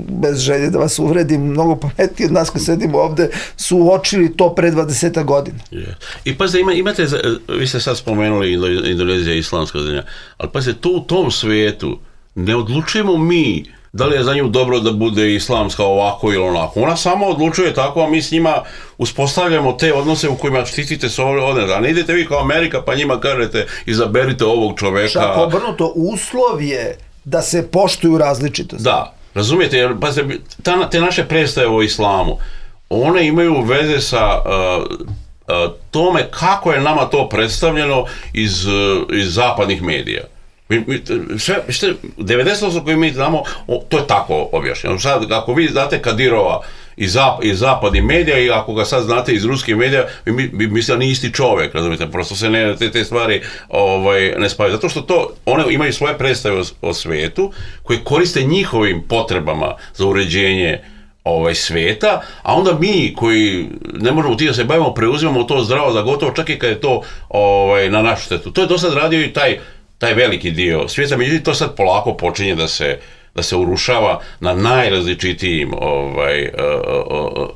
bez želje da vas uvredim, mnogo pametniji od nas koji sedimo ovde, su uočili to pre dvadeset godina. Yeah. I pazite, ima, imate, vi ste sad spomenuli Indonezija i islamska zemlja, ali pazite, to u tom svijetu ne odlučujemo mi da li je za nju dobro da bude islamska ovako ili onako. Ona samo odlučuje tako, a mi s njima uspostavljamo te odnose u kojima štitite se odnose. A ne idete vi kao Amerika pa njima kažete izaberite ovog čoveka. Čak obrnuto, uslov je da se poštuju različitosti. Da, razumijete, jer pa, ta, te naše predstave o islamu, one imaju veze sa uh, uh, tome kako je nama to predstavljeno iz, uh, iz zapadnih medija. Mi, mi, sve, što, devedeset posto koji mi znamo, o, to je tako objašnjeno. Sad, ako vi znate Kadirova iz, zap, iz zapadnih medija i ako ga sad znate iz ruskih medija, vi, mi, vi mislite da nije isti čovjek, razumijete, prosto se ne, te, te stvari ovaj, ne spavaju. Zato što to, one imaju svoje predstave o, o svijetu koje koriste njihovim potrebama za uređenje ovaj, sveta, a onda mi koji ne možemo ti da se bavimo, preuzimamo to zdravo za gotovo, čak i kad je to ovaj, na našu štetu. To je do sad radio i taj, taj veliki dio svijeta, međutim to sad polako počinje da se da se urušava na najrazličitijim ovaj, uh,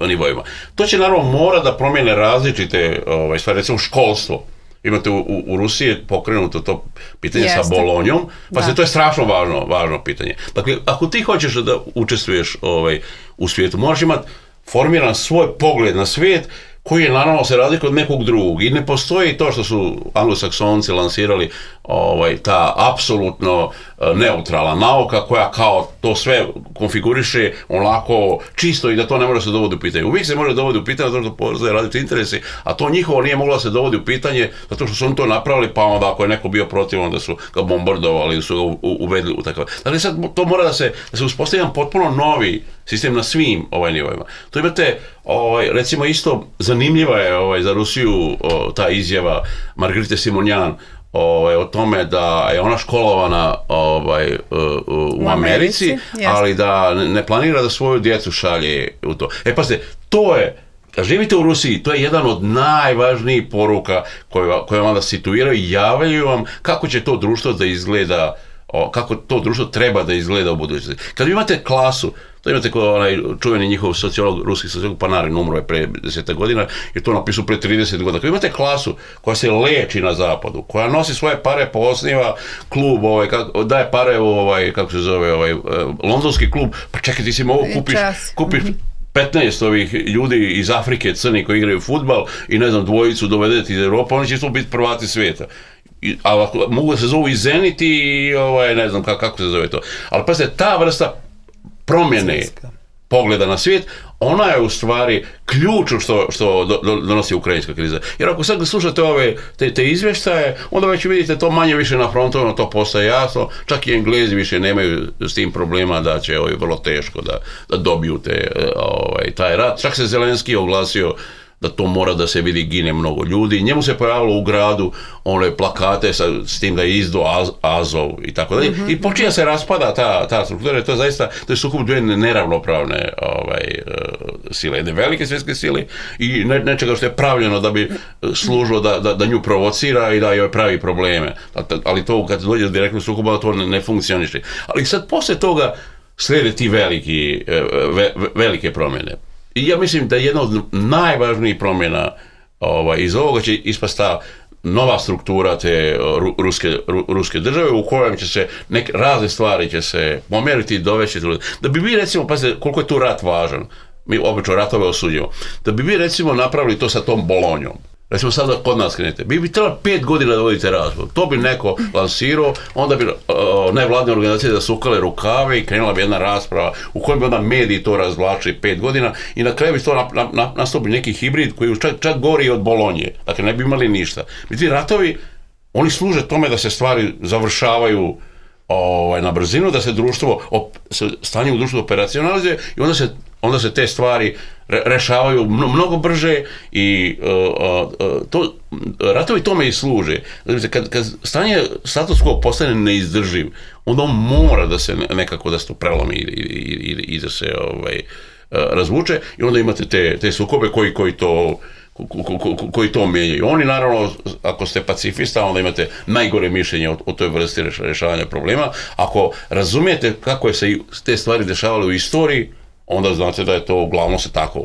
uh, nivoima. To će naravno mora da promijene različite ovaj, stvari, recimo školstvo. Imate u, u, u Rusiji pokrenuto to pitanje Jeste. sa Bolonjom, pa se to je strašno važno, važno pitanje. Dakle, ako ti hoćeš da učestvuješ ovaj, u svijetu, moraš imati formiran svoj pogled na svijet koji je naravno se razlikuje od nekog drugog i ne postoji to što su anglosaksonci lansirali ovaj, ta apsolutno neutralna nauka koja kao to sve konfiguriše onako čisto i da to ne može se dovoditi u pitanje. Uvijek se može dovoditi u pitanje zato što postoje različiti interesi, a to njihovo nije moglo se dovoditi u pitanje zato što su oni to napravili, pa onda ako je neko bio protiv, onda su ga bombardovali ili su ga uvedli u takav. Dakle, sad to mora da se, da se uspostavi jedan potpuno novi sistem na svim ovaj nivoima. To imate, ovaj, recimo isto zanimljiva je ovaj, za Rusiju o, ta izjava Margarite Simonjan ovaj, o tome da je ona školovana ovaj, u, u Americi, Americi ali da ne planira da svoju djecu šalje u to. E pa se, to je, kad živite u Rusiji, to je jedan od najvažnijih poruka koje, koje vam da situiraju i javljaju vam kako će to društvo da izgleda, o, kako to društvo treba da izgleda u budućnosti. Kad imate klasu, to imate kao onaj čuveni njihov sociolog, ruski sociolog Panarin, umro je pre deset godina, je to napisao pre trideset godina. Kad imate klasu koja se leči na zapadu, koja nosi svoje pare, posniva klub, ovaj, kako, daje pare u ovaj, kako se zove, ovaj, londonski klub, pa čekaj, ti si mogu kupiš, kupiš petnaest ovih ljudi iz Afrike, crni koji igraju fudbal i ne znam, dvojicu dovedeti iz Evropa, oni će to biti prvati svijeta. Ali mogu da se zovu i Zenit i ovaj, ne znam kako, kako se zove to. Ali pa se ta vrsta promjene pogleda na svijet, ona je u stvari ključ što, što do, do, donosi ukrajinska kriza. Jer ako sad slušate ove te, te izvještaje, onda već vidite to manje više na frontovima, to postaje jasno, čak i Englezi više nemaju s tim problema da će ovaj, vrlo teško da, da dobiju te, ovaj, taj rat. Čak se Zelenski oglasio da to mora da se vidi, gine mnogo ljudi. Njemu se pojavilo u gradu one plakate sa, s tim da je izdo Az, Azov i tako dalje. Mm-hmm. I počinje se raspada ta, ta struktura. To je zaista, to je sukob dvije neravnopravne ovaj, sile. Jedne velike svjetske sile i ne, nečega što je pravljeno da bi služilo da, da, da nju provocira i da joj pravi probleme. Ali to kad dođe direktno sukoba, to ne, ne funkcioniše. Ali sad posle toga slijede ti veliki, ve, velike promjene. I ja mislim da jedna od najvažnijih promjena ovaj, iz ovoga će ispast ta nova struktura te ru, ruske, ru, ruske države u kojem će se neke razne stvari će se pomjeriti i dovesti. Da bi vi recimo, pazite koliko je tu rat važan, mi obično ratove osuđujemo, da bi vi recimo napravili to sa tom Bolonjom. Recimo sada kod nas krenete, bi bi trebalo pet godina da vodite razgovor. To bi neko lansirao, onda bi uh, nevladne organizacije zasukale rukave i krenula bi jedna rasprava u kojem bi onda mediji to razvlačili pet godina i na kraju bi to na, na, nastupi neki hibrid koji čak, čak gori od Bolonje. Dakle, ne bi imali ništa. Međutim, ratovi, oni služe tome da se stvari završavaju ovaj, na brzinu, da se društvo, op, stanje u društvu operacionalizuje i onda se, onda se te stvari re, rešavaju mnogo brže i uh, uh, to, ratovi tome i služe. Znači, kad, kad stanje status quo postane neizdrživ, onda on mora da se nekako da se to prelomi i, i, i, i da se ovaj, uh, razvuče i onda imate te, te sukobe koji, koji to Ko, ko, ko, koji to mijenjaju. Oni naravno, ako ste pacifista, onda imate najgore mišljenje o, o toj vrsti rješavanja problema. Ako razumijete kako je se te stvari dešavale u istoriji, onda znate da je to uglavnom se tako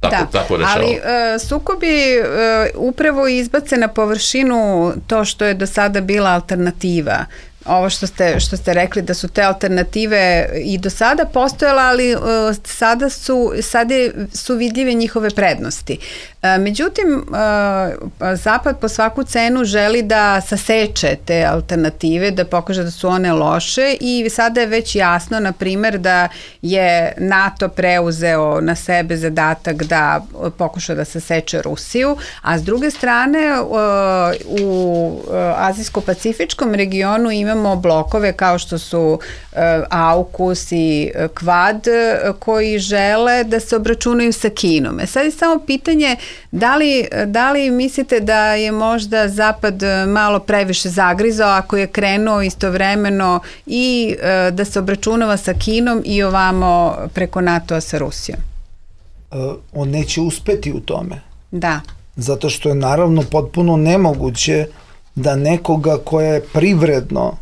tako, da, tako rešava. Ali uh, sukobi uh, upravo izbace na površinu to što je do sada bila alternativa. Ovo što ste, što ste rekli da su te alternative i do sada postojala, ali uh, sada su, sada su vidljive njihove prednosti. Uh, međutim, uh, Zapad po svaku cenu želi da saseče te alternative, da pokaže da su one loše i sada je već jasno, na primjer, da je NATO preuzeo na sebe zadatak da pokuša da saseče Rusiju, a s druge strane uh, u uh, Azijsko-pacifičkom regionu ima imamo blokove kao što su uh, AUKUS i uh, Quad uh, koji žele da se obračunaju sa Kinom. E sad je samo pitanje da li, da li mislite da je možda Zapad malo previše zagrizao ako je krenuo istovremeno i uh, da se obračunava sa Kinom i ovamo preko NATO-a sa Rusijom? Uh, on neće uspeti u tome. Da. Zato što je naravno potpuno nemoguće da nekoga koja je privredno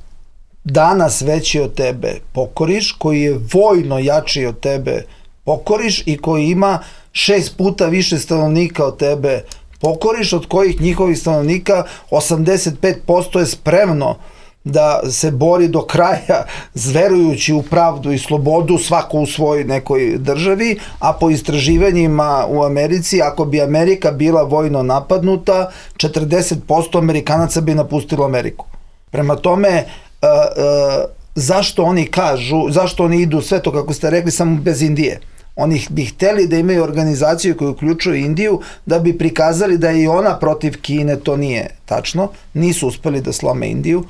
danas veći od tebe pokoriš, koji je vojno jači od tebe pokoriš i koji ima šest puta više stanovnika od tebe pokoriš, od kojih njihovih stanovnika osamdeset pet posto je spremno da se bori do kraja zverujući u pravdu i slobodu svako u svojoj nekoj državi, a po istraživanjima u Americi, ako bi Amerika bila vojno napadnuta, četrdeset posto Amerikanaca bi napustilo Ameriku. Prema tome, uh, uh, zašto oni kažu, zašto oni idu sve to, kako ste rekli, samo bez Indije? Oni bi hteli da imaju organizaciju koju uključuje Indiju da bi prikazali da je i ona protiv Kine, to nije tačno, nisu uspeli da slome Indiju.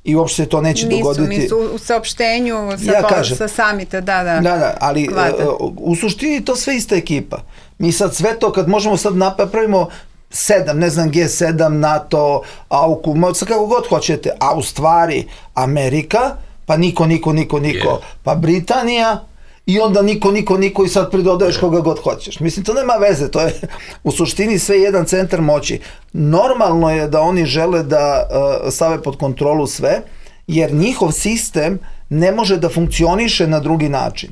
I uopšte to neće nisu, dogoditi. Nisu, u saopštenju sa, ja kažem, sa samita, da, da. Da, da, ali uh, u suštini to sve ista ekipa. Mi sad sve to, kad možemo sad napravimo sedam, ne znam, G sedam, NATO, AUKUS, kako god hoćete, a u stvari Amerika, pa niko, niko, niko, niko, yeah. pa Britanija, i onda niko, niko, niko i sad pridodaješ koga god hoćeš. Mislim, to nema veze, to je u suštini sve jedan centar moći. Normalno je da oni žele da uh, stave pod kontrolu sve, jer njihov sistem ne može da funkcioniše na drugi način.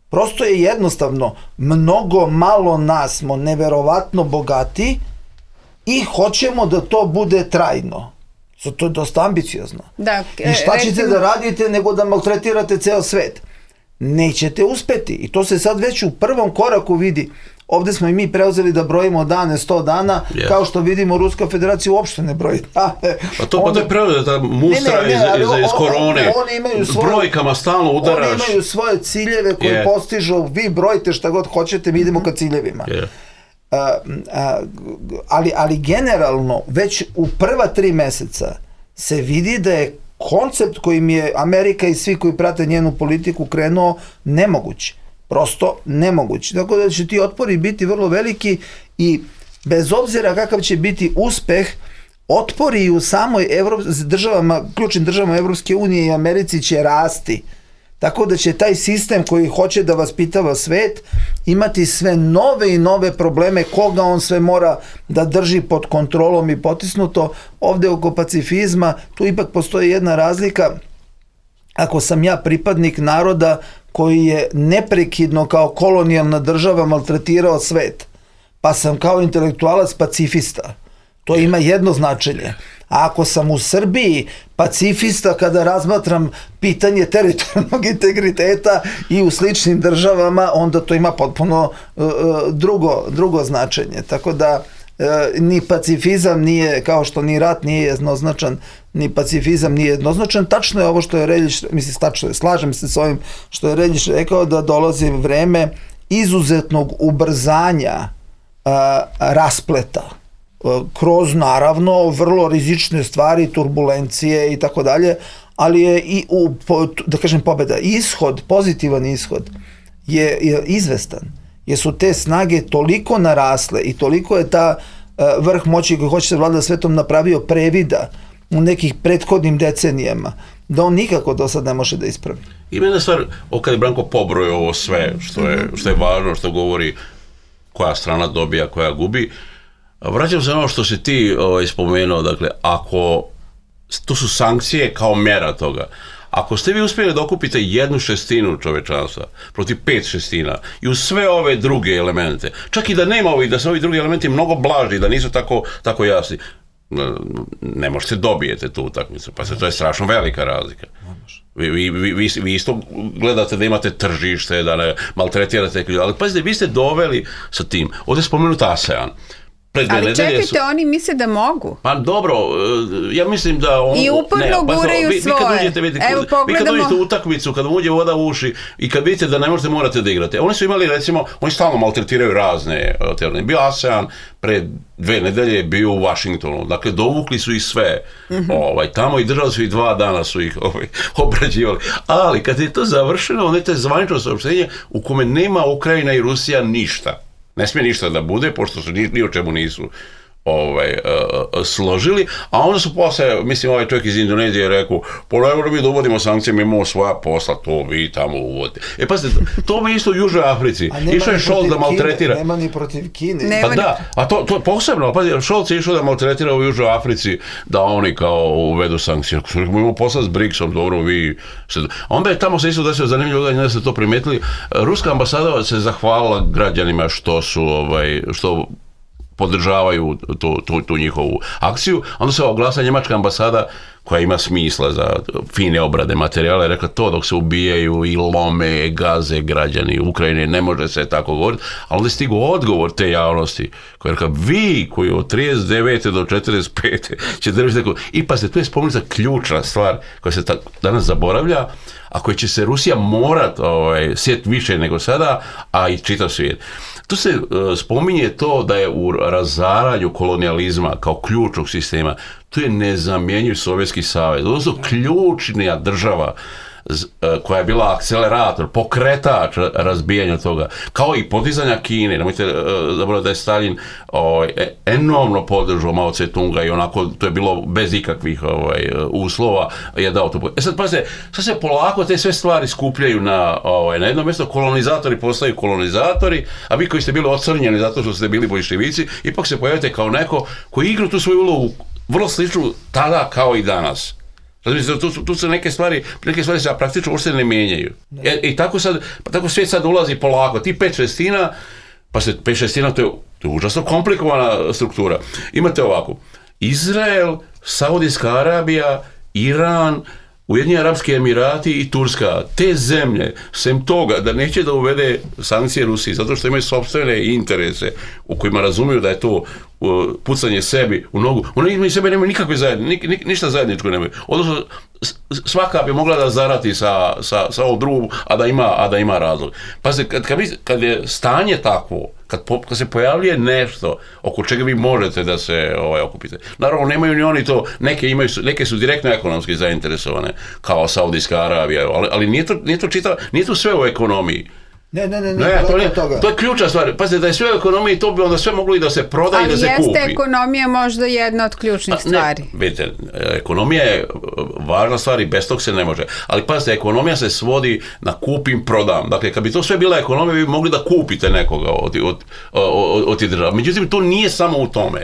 Prosto je jednostavno, mnogo malo nas smo neverovatno bogati i hoćemo da to bude trajno. To je dosta ambiciozno. Da, I šta ćete recimo... da radite nego da maltretirate ceo svet? Nećete uspeti. I to se sad već u prvom koraku vidi. Ovde smo i mi preuzeli da brojimo dane, sto dana, yes. kao što vidimo Ruska federacija uopšte ne broji dane. Pa to, Onda... pa to je preuzela ta mustra ne, ne, ne, iz, iz, iz korone. Oni imaju svoje, brojkama stalno udaraš. Oni imaju svoje ciljeve koje yeah. postižu, vi brojite šta god hoćete, mi idemo ka ciljevima. Yeah. A, a, ali, ali generalno, već u prva tri meseca se vidi da je koncept kojim je Amerika i svi koji prate njenu politiku krenuo nemoguć. Prosto nemoguć. Tako da će ti otpori biti vrlo veliki i bez obzira kakav će biti uspeh, otpori u samoj Evrop... državama, ključnim državama Evropske unije i Americi će rasti. Tako da će taj sistem koji hoće da vaspitava svet imati sve nove i nove probleme, koga on sve mora da drži pod kontrolom i potisnuto. Ovde oko pacifizma, tu ipak postoji jedna razlika. Ako sam ja pripadnik naroda koji je neprekidno kao kolonijalna država maltretirao svet, pa sam kao intelektualac pacifista, to ima jedno značenje. A ako sam u Srbiji pacifista kada razmatram pitanje teritorijalnog integriteta i u sličnim državama, onda to ima potpuno uh, drugo, drugo značenje. Tako da uh, ni pacifizam nije, kao što ni rat nije jednoznačan, ni pacifizam nije jednoznačan. Tačno je ovo što je Reljić, mislim, tačno je, slažem se s ovim što je Reljić rekao, da dolazi vreme izuzetnog ubrzanja uh, raspleta kroz naravno vrlo rizične stvari, turbulencije i tako dalje, ali je i u, da kažem, pobeda, ishod, pozitivan ishod je, je izvestan, jer su te snage toliko narasle i toliko je ta uh, vrh moći koji hoće se vlada svetom napravio previda u nekih prethodnim decenijama, da on nikako do sad ne može da ispravi. Ima jedna stvar, kada je Branko pobrojio ovo sve, što je, što je važno, što govori koja strana dobija, koja gubi. Vraćam se na ono što si ti ovaj, spomenuo, dakle, ako, to su sankcije kao mera toga, ako ste vi uspjeli da okupite jednu šestinu čovečanstva protiv pet šestina i uz sve ove druge elemente, čak i da nema ovih, da su ovi drugi elementi mnogo blaži, da nisu tako, tako jasni, ne možete dobijete tu utakmicu, pa se to je strašno velika razlika. Vi, vi, vi, vi isto gledate da imate tržište, da ne maltretirate, ali pazite, vi ste doveli sa tim, ovdje je spomenut ASEAN. Ali čekajte, su... oni misle da mogu. Pa dobro, ja mislim da... On, I uporno ne, guraju vi, svoje. Vi kad uđete, vidite, Evo, vi kad uđete u utakmicu, kad vam uđe voda u uši i kad vidite da ne možete, morate da igrate. Oni su imali, recimo, oni stalno maltretiraju razne teorije. Bio ASEAN, pre dve nedelje je bio u Washingtonu. Dakle, dovukli su ih sve. Mm-hmm. Ovaj, tamo i držali su ih dva dana su ih ovaj, obrađivali. Ali kad je to završeno, onda je to zvanično saopštenje u kome nema Ukrajina i Rusija ništa. Ne smije ništa da bude, pošto su ni, ni o čemu nisu ovaj, uh, složili, a onda su posle, mislim, ovaj čovjek iz Indonezije rekao, pa ne mi da uvodimo sankcije, mi imamo svoja posla, to vi tamo uvodite. E pa to mi isto u Južnoj Africi. Išao je Scholz da maltretira. Nema ni protiv Kine. Pa nema da, a to, to je posebno, pa Scholz je išao da maltretira u Južnoj Africi, da oni kao uvedu sankcije. Mi imamo posla s BRICS-om, dobro, vi... Se... Onda je tamo se isto desilo zanimljivo, da ste to primetili, ruska ambasada se zahvalila građanima što su, ovaj, što podržavaju tu, tu, tu njihovu akciju. Onda se oglasa njemačka ambasada koja ima smisla za fine obrade materijala, je rekla to dok se ubijaju i lome, gaze građani Ukrajine, ne može se tako govoriti, ali onda je stigao odgovor te javnosti koja je rekla, vi koji od trideset devete do četrdeset pete će držati tako, i pa se tu je spomenuta ključna stvar koja se ta, danas zaboravlja, a koja će se Rusija morat ovaj, sjet više nego sada, a i čitav svijet. Tu se uh, spominje to da je u razaranju kolonijalizma kao ključnog sistema, tu je nezamjenjiv Sovjetski savez, odnosno ključnija država koja je bila akcelerator, pokretač razbijanja toga, kao i podizanja Kine. Nemojte zaboraviti da je Stalin ovaj, enormno podržao Mao Tse-tunga i onako, to je bilo bez ikakvih ovaj, uslova, je dao to. E sad, pazite, sad se polako te sve stvari skupljaju na, ovaj, na jedno mjesto, kolonizatori postaju kolonizatori, a vi koji ste bili ocrnjeni zato što ste bili bolševici, ipak se pojavite kao neko koji igra tu svoju ulogu vrlo sličnu tada kao i danas. Tu su, tu su neke stvari, neke stvari se praktično uopšte ne mijenjaju. E, I tako, sad, tako svijet sad ulazi polako. Ti pet šestina, pa se pet šestina, to je, to je užasno komplikovana struktura. Imate ovako, Izrael, Saudijska Arabija, Iran, Ujedinjeni Arapski Emirati i Turska, te zemlje, sem toga da neće da uvede sankcije Rusiji, zato što imaju sopstvene interese u kojima razumiju da je to uh, pucanje sebi u nogu, oni imaju sebe nemaju nikakve zajedničke, ni, ništa zajedničko nemaju. Odnosno, svaka bi mogla da zarati sa, sa, sa ovom drugom, a da ima, a da ima razlog. Pazite, kad, kad, kad je stanje takvo, kad, po, kad se pojavljuje nešto oko čega vi možete da se ovaj, okupite. Naravno, nemaju ni oni to, neke, imaju, neke su direktno ekonomski zainteresovane, kao Saudijska Arabija, ali, ali nije, to, nije, to čita, nije to sve u ekonomiji. Ne, ne, ne, ne, ne to, je, to je ključna stvar. Pazite, da je sve u ekonomiji, to bi onda sve moglo i da se proda i da se kupi. Ali jeste ekonomija možda jedna od ključnih pa, stvari. Ne, vidite, ekonomija je važna stvar i bez tog se ne može. Ali pazite, ekonomija se svodi na kupim, prodam. Dakle, kad bi to sve bila ekonomija, vi bi mogli da kupite nekoga od, od, od, od tih država. Međutim, to nije samo u tome.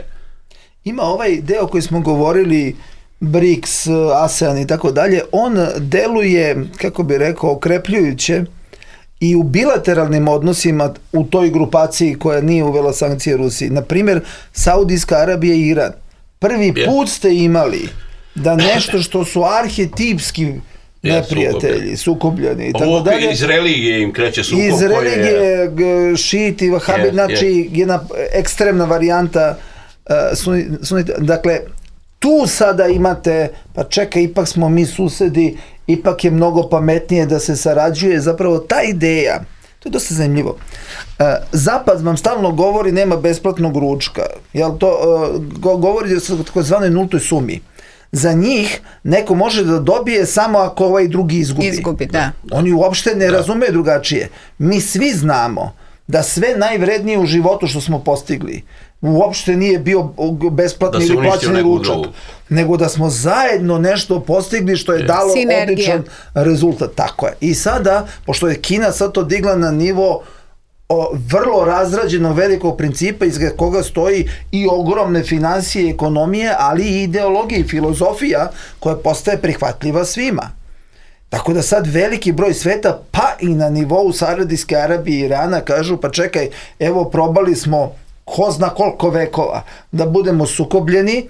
Ima ovaj deo koji smo govorili, BRICS, ASEAN i tako dalje, on deluje, kako bi rekao, okrepljujuće i u bilateralnim odnosima u toj grupaciji koja nije uvela sankcije Rusiji. Naprimjer, Saudijska Arabija i Iran. Prvi put ste imali da nešto što su arhetipski neprijatelji, sukobljeni i tako dalje. Iz religije im kreće sukob. Iz religije, je... šiti, vahabi, yes, znači yes. jedna ekstremna varijanta uh, sunita. Dakle, tu sada imate, pa čekaj, ipak smo mi susedi, ipak je mnogo pametnije da se sarađuje. Zapravo ta ideja, to je dosta zanimljivo. Zapad vam stalno govori nema besplatnog ručka. Jel to govori o takozvanoj nultoj sumi. Za njih neko može da dobije samo ako ovaj drugi izgubi. Izgubi, da. Oni uopšte ne da. razumeju drugačije. Mi svi znamo da sve najvrednije u životu što smo postigli uopšte nije bio besplatni ili plaćeni ručak, nego da smo zajedno nešto postigli što je, je. dalo Sinergija. odličan rezultat. Tako je. I sada, pošto je Kina sad to digla na nivo o, vrlo razrađenog velikog principa iz koga stoji i ogromne financije i ekonomije, ali i ideologija i filozofija koja postaje prihvatljiva svima. Tako da sad veliki broj sveta, pa i na nivou Saudijske Arabije i Irana, kažu pa čekaj, evo probali smo ko zna koliko vekova da budemo sukobljeni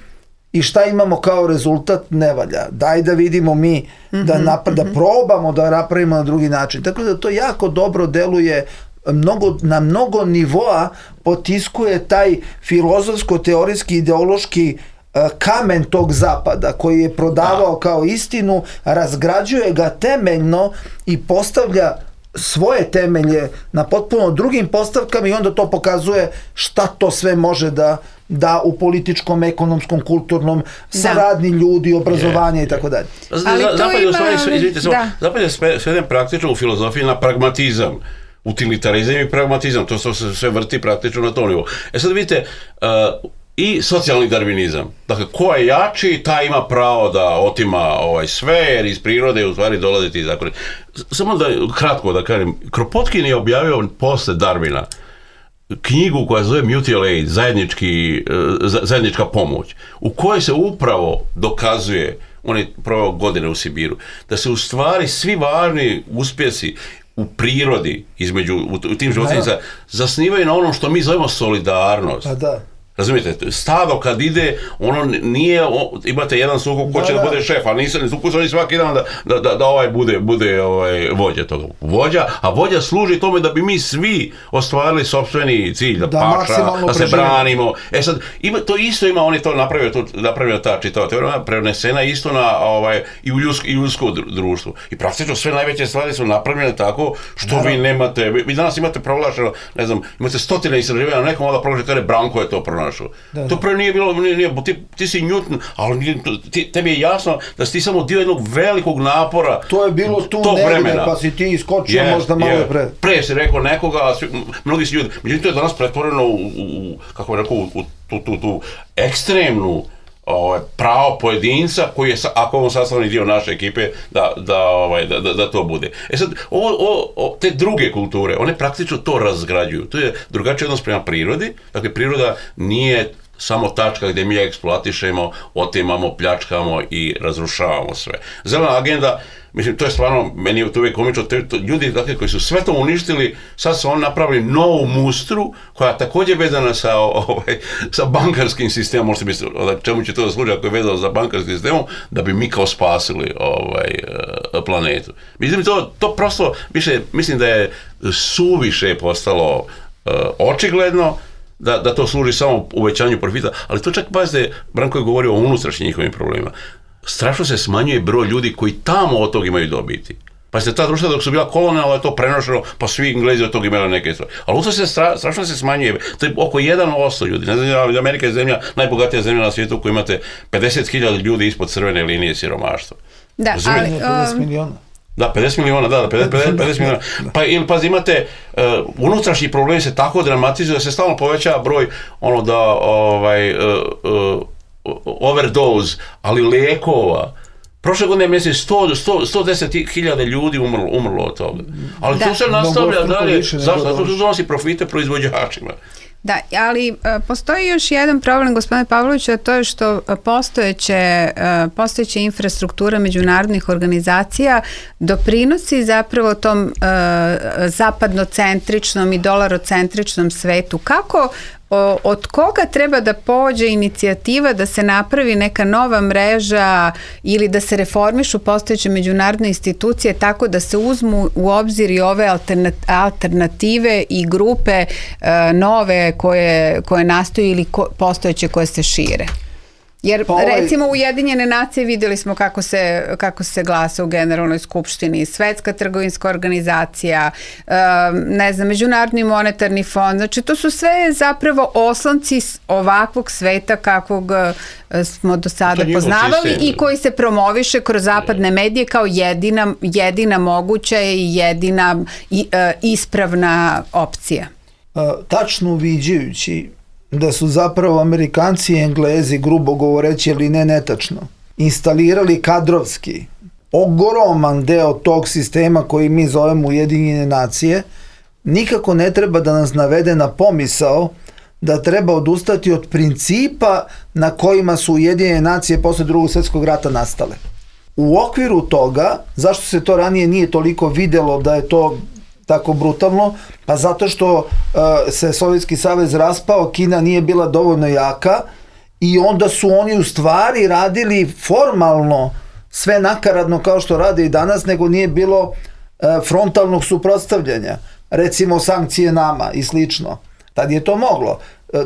i šta imamo kao rezultat, ne valja. Daj da vidimo mi, da, napra- da probamo da napravimo na drugi način. Tako da to jako dobro deluje mnogo, na mnogo nivoa potiskuje taj filozofsko-teorijski, ideološki kamen tog zapada koji je prodavao kao istinu, razgrađuje ga temeljno i postavlja svoje temelje na potpuno drugim postavkama i onda to pokazuje šta to sve može da da u političkom, ekonomskom, kulturnom, saradnji ljudi, obrazovanje i tako dalje. Zapad je u stvari, izvinite, Zapad je sveden praktično u filozofiji na pragmatizam, utilitarizam i pragmatizam, to se sve vrti praktično na tom nivou. E sad vidite, i socijalni darvinizam. Dakle, ko je jači, taj ima pravo da otima ovaj sve, jer iz prirode u stvari dolaze ti zakoni. Samo da, kratko da kažem, Kropotkin je objavio posle Darwina knjigu koja zove Mutual Aid, zajednički, zajednička pomoć, u kojoj se upravo dokazuje, on je proveo godine u Sibiru, da se u stvari svi važni uspjesi u prirodi, između, u, u tim životinjicama, zasnivaju na onom što mi zovemo solidarnost. Pa da. Razumijete, stado kad ide, ono nije, imate jedan sukup ko će da, da bude šef, a nisu sukup svaki dan da, da, da, da ovaj bude, bude ovaj vođa toga. Vođa, a vođa služi tome da bi mi svi ostvarili sopstveni cilj, da, da paša, da se branimo. E sad, ima, to isto ima, on je to napravio, to, napravio ta čitava teorija, prenesena isto na, ovaj, i u ljudsko, i u ljudsko društvo. I praktično sve najveće stvari su napravljene tako što da, vi nemate, vi, vi danas imate proglašeno, ne znam, imate stotine istraživanja, nekom onda proglašeno, kada je Branko je to pronašao. Da, to prvo nije bilo, nije, nije, ti, ti si Newton, ali ti, tebi je jasno da si ti samo dio jednog velikog napora. To je bilo tu negdje, pa si ti iskočio yeah, možda malo yeah. pre. Pre si rekao nekoga, a svi, mnogi si ljudi. Međutim, to je danas pretvoreno u, u kako je rekao, u tu, tu, tu ekstremnu ovaj, pravo pojedinca koji je, ako on sastavni dio naše ekipe, da, da, ovaj, da, da, da to bude. E sad, ovo, ovo, o, te druge kulture, one praktično to razgrađuju. To je drugačiji odnos prema prirodi. Dakle, priroda nije samo tačka gdje mi eksploatišemo, otimamo, pljačkamo i razrušavamo sve. Zelena agenda, mislim, to je stvarno, meni je to uvijek komično, ljudi dakle, koji su sve to uništili, sad su oni napravili novu mustru, koja također vezana sa, ovaj, sa bankarskim sistemom, možete misliti, čemu će to da služi ako je vezano za bankarskim sistemom, da bi mi kao spasili ovaj, planetu. Mislim, to, to prosto, više, mislim da je suviše postalo uh, očigledno, Da, da to služi samo uvećanju profita, ali to čak, pazite, Branko je govorio o unutrašnjim njihovim problemima. Strašno se smanjuje broj ljudi koji tamo od toga imaju dobiti. Pazite, ta društva dok su bila kolonijalna je to prenošeno, pa svi Englezi od toga imali neke stvari. Ali usto se stra, strašno se smanjuje, to je oko jedan posto ljudi. Ne znam, Amerika je zemlja, najbogatija zemlja na svijetu u kojoj imate pedeset hiljada ljudi ispod crvene linije siromaštva. Da, ali... pedeset miliona. Da, pedeset miliona, da, da, pedeset, pedeset miliona. Pa ili pazi, imate uh, unutrašnji problemi se tako dramatizuju da se stalno povećava broj ono da ovaj uh, uh, overdose, ali lijekova. Prošle godine mislim sto, sto, sto deset hiljada ljudi umrlo, umrlo od toga. Ali da. To se nastavlja dalje, zašto? Zato što donosi profite proizvođačima. Da, ali postoji još jedan problem, gospodine Pavloviću, a to je što postojeće, postojeća infrastruktura međunarodnih organizacija doprinosi zapravo tom uh, zapadnocentričnom i dolarocentričnom svetu. Kako O, od koga treba da pođe inicijativa da se napravi neka nova mreža ili da se reformišu postojeće međunarodne institucije tako da se uzmu u obzir i ove alternative i grupe e, nove koje, koje nastaju ili ko, postojeće koje se šire? Jer pa ovaj... recimo Ujedinjene nacije vidjeli smo kako se, kako se glasa u Generalnoj skupštini, Svetska trgovinska organizacija, ne znam, Međunarodni monetarni fond, znači to su sve zapravo oslonci ovakvog sveta kakvog smo do sada poznavali i koji se promoviše kroz zapadne medije kao jedina, jedina moguća i jedina i, uh, ispravna opcija. Uh, tačno uviđajući da su zapravo Amerikanci i Englezi, grubo govoreći, ali ne netačno, instalirali kadrovski ogroman deo tog sistema koji mi zovemo Ujedinjene nacije, nikako ne treba da nas navede na pomisao da treba odustati od principa na kojima su Ujedinjene nacije posle drugog svjetskog rata nastale. U okviru toga, zašto se to ranije nije toliko videlo da je to tako brutalno, pa zato što uh, se Sovjetski savez raspao, Kina nije bila dovoljno jaka i onda su oni u stvari radili formalno sve nakaradno kao što rade i danas, nego nije bilo uh, frontalnog suprotstavljanja. recimo sankcije nama i slično. Tad je to moglo.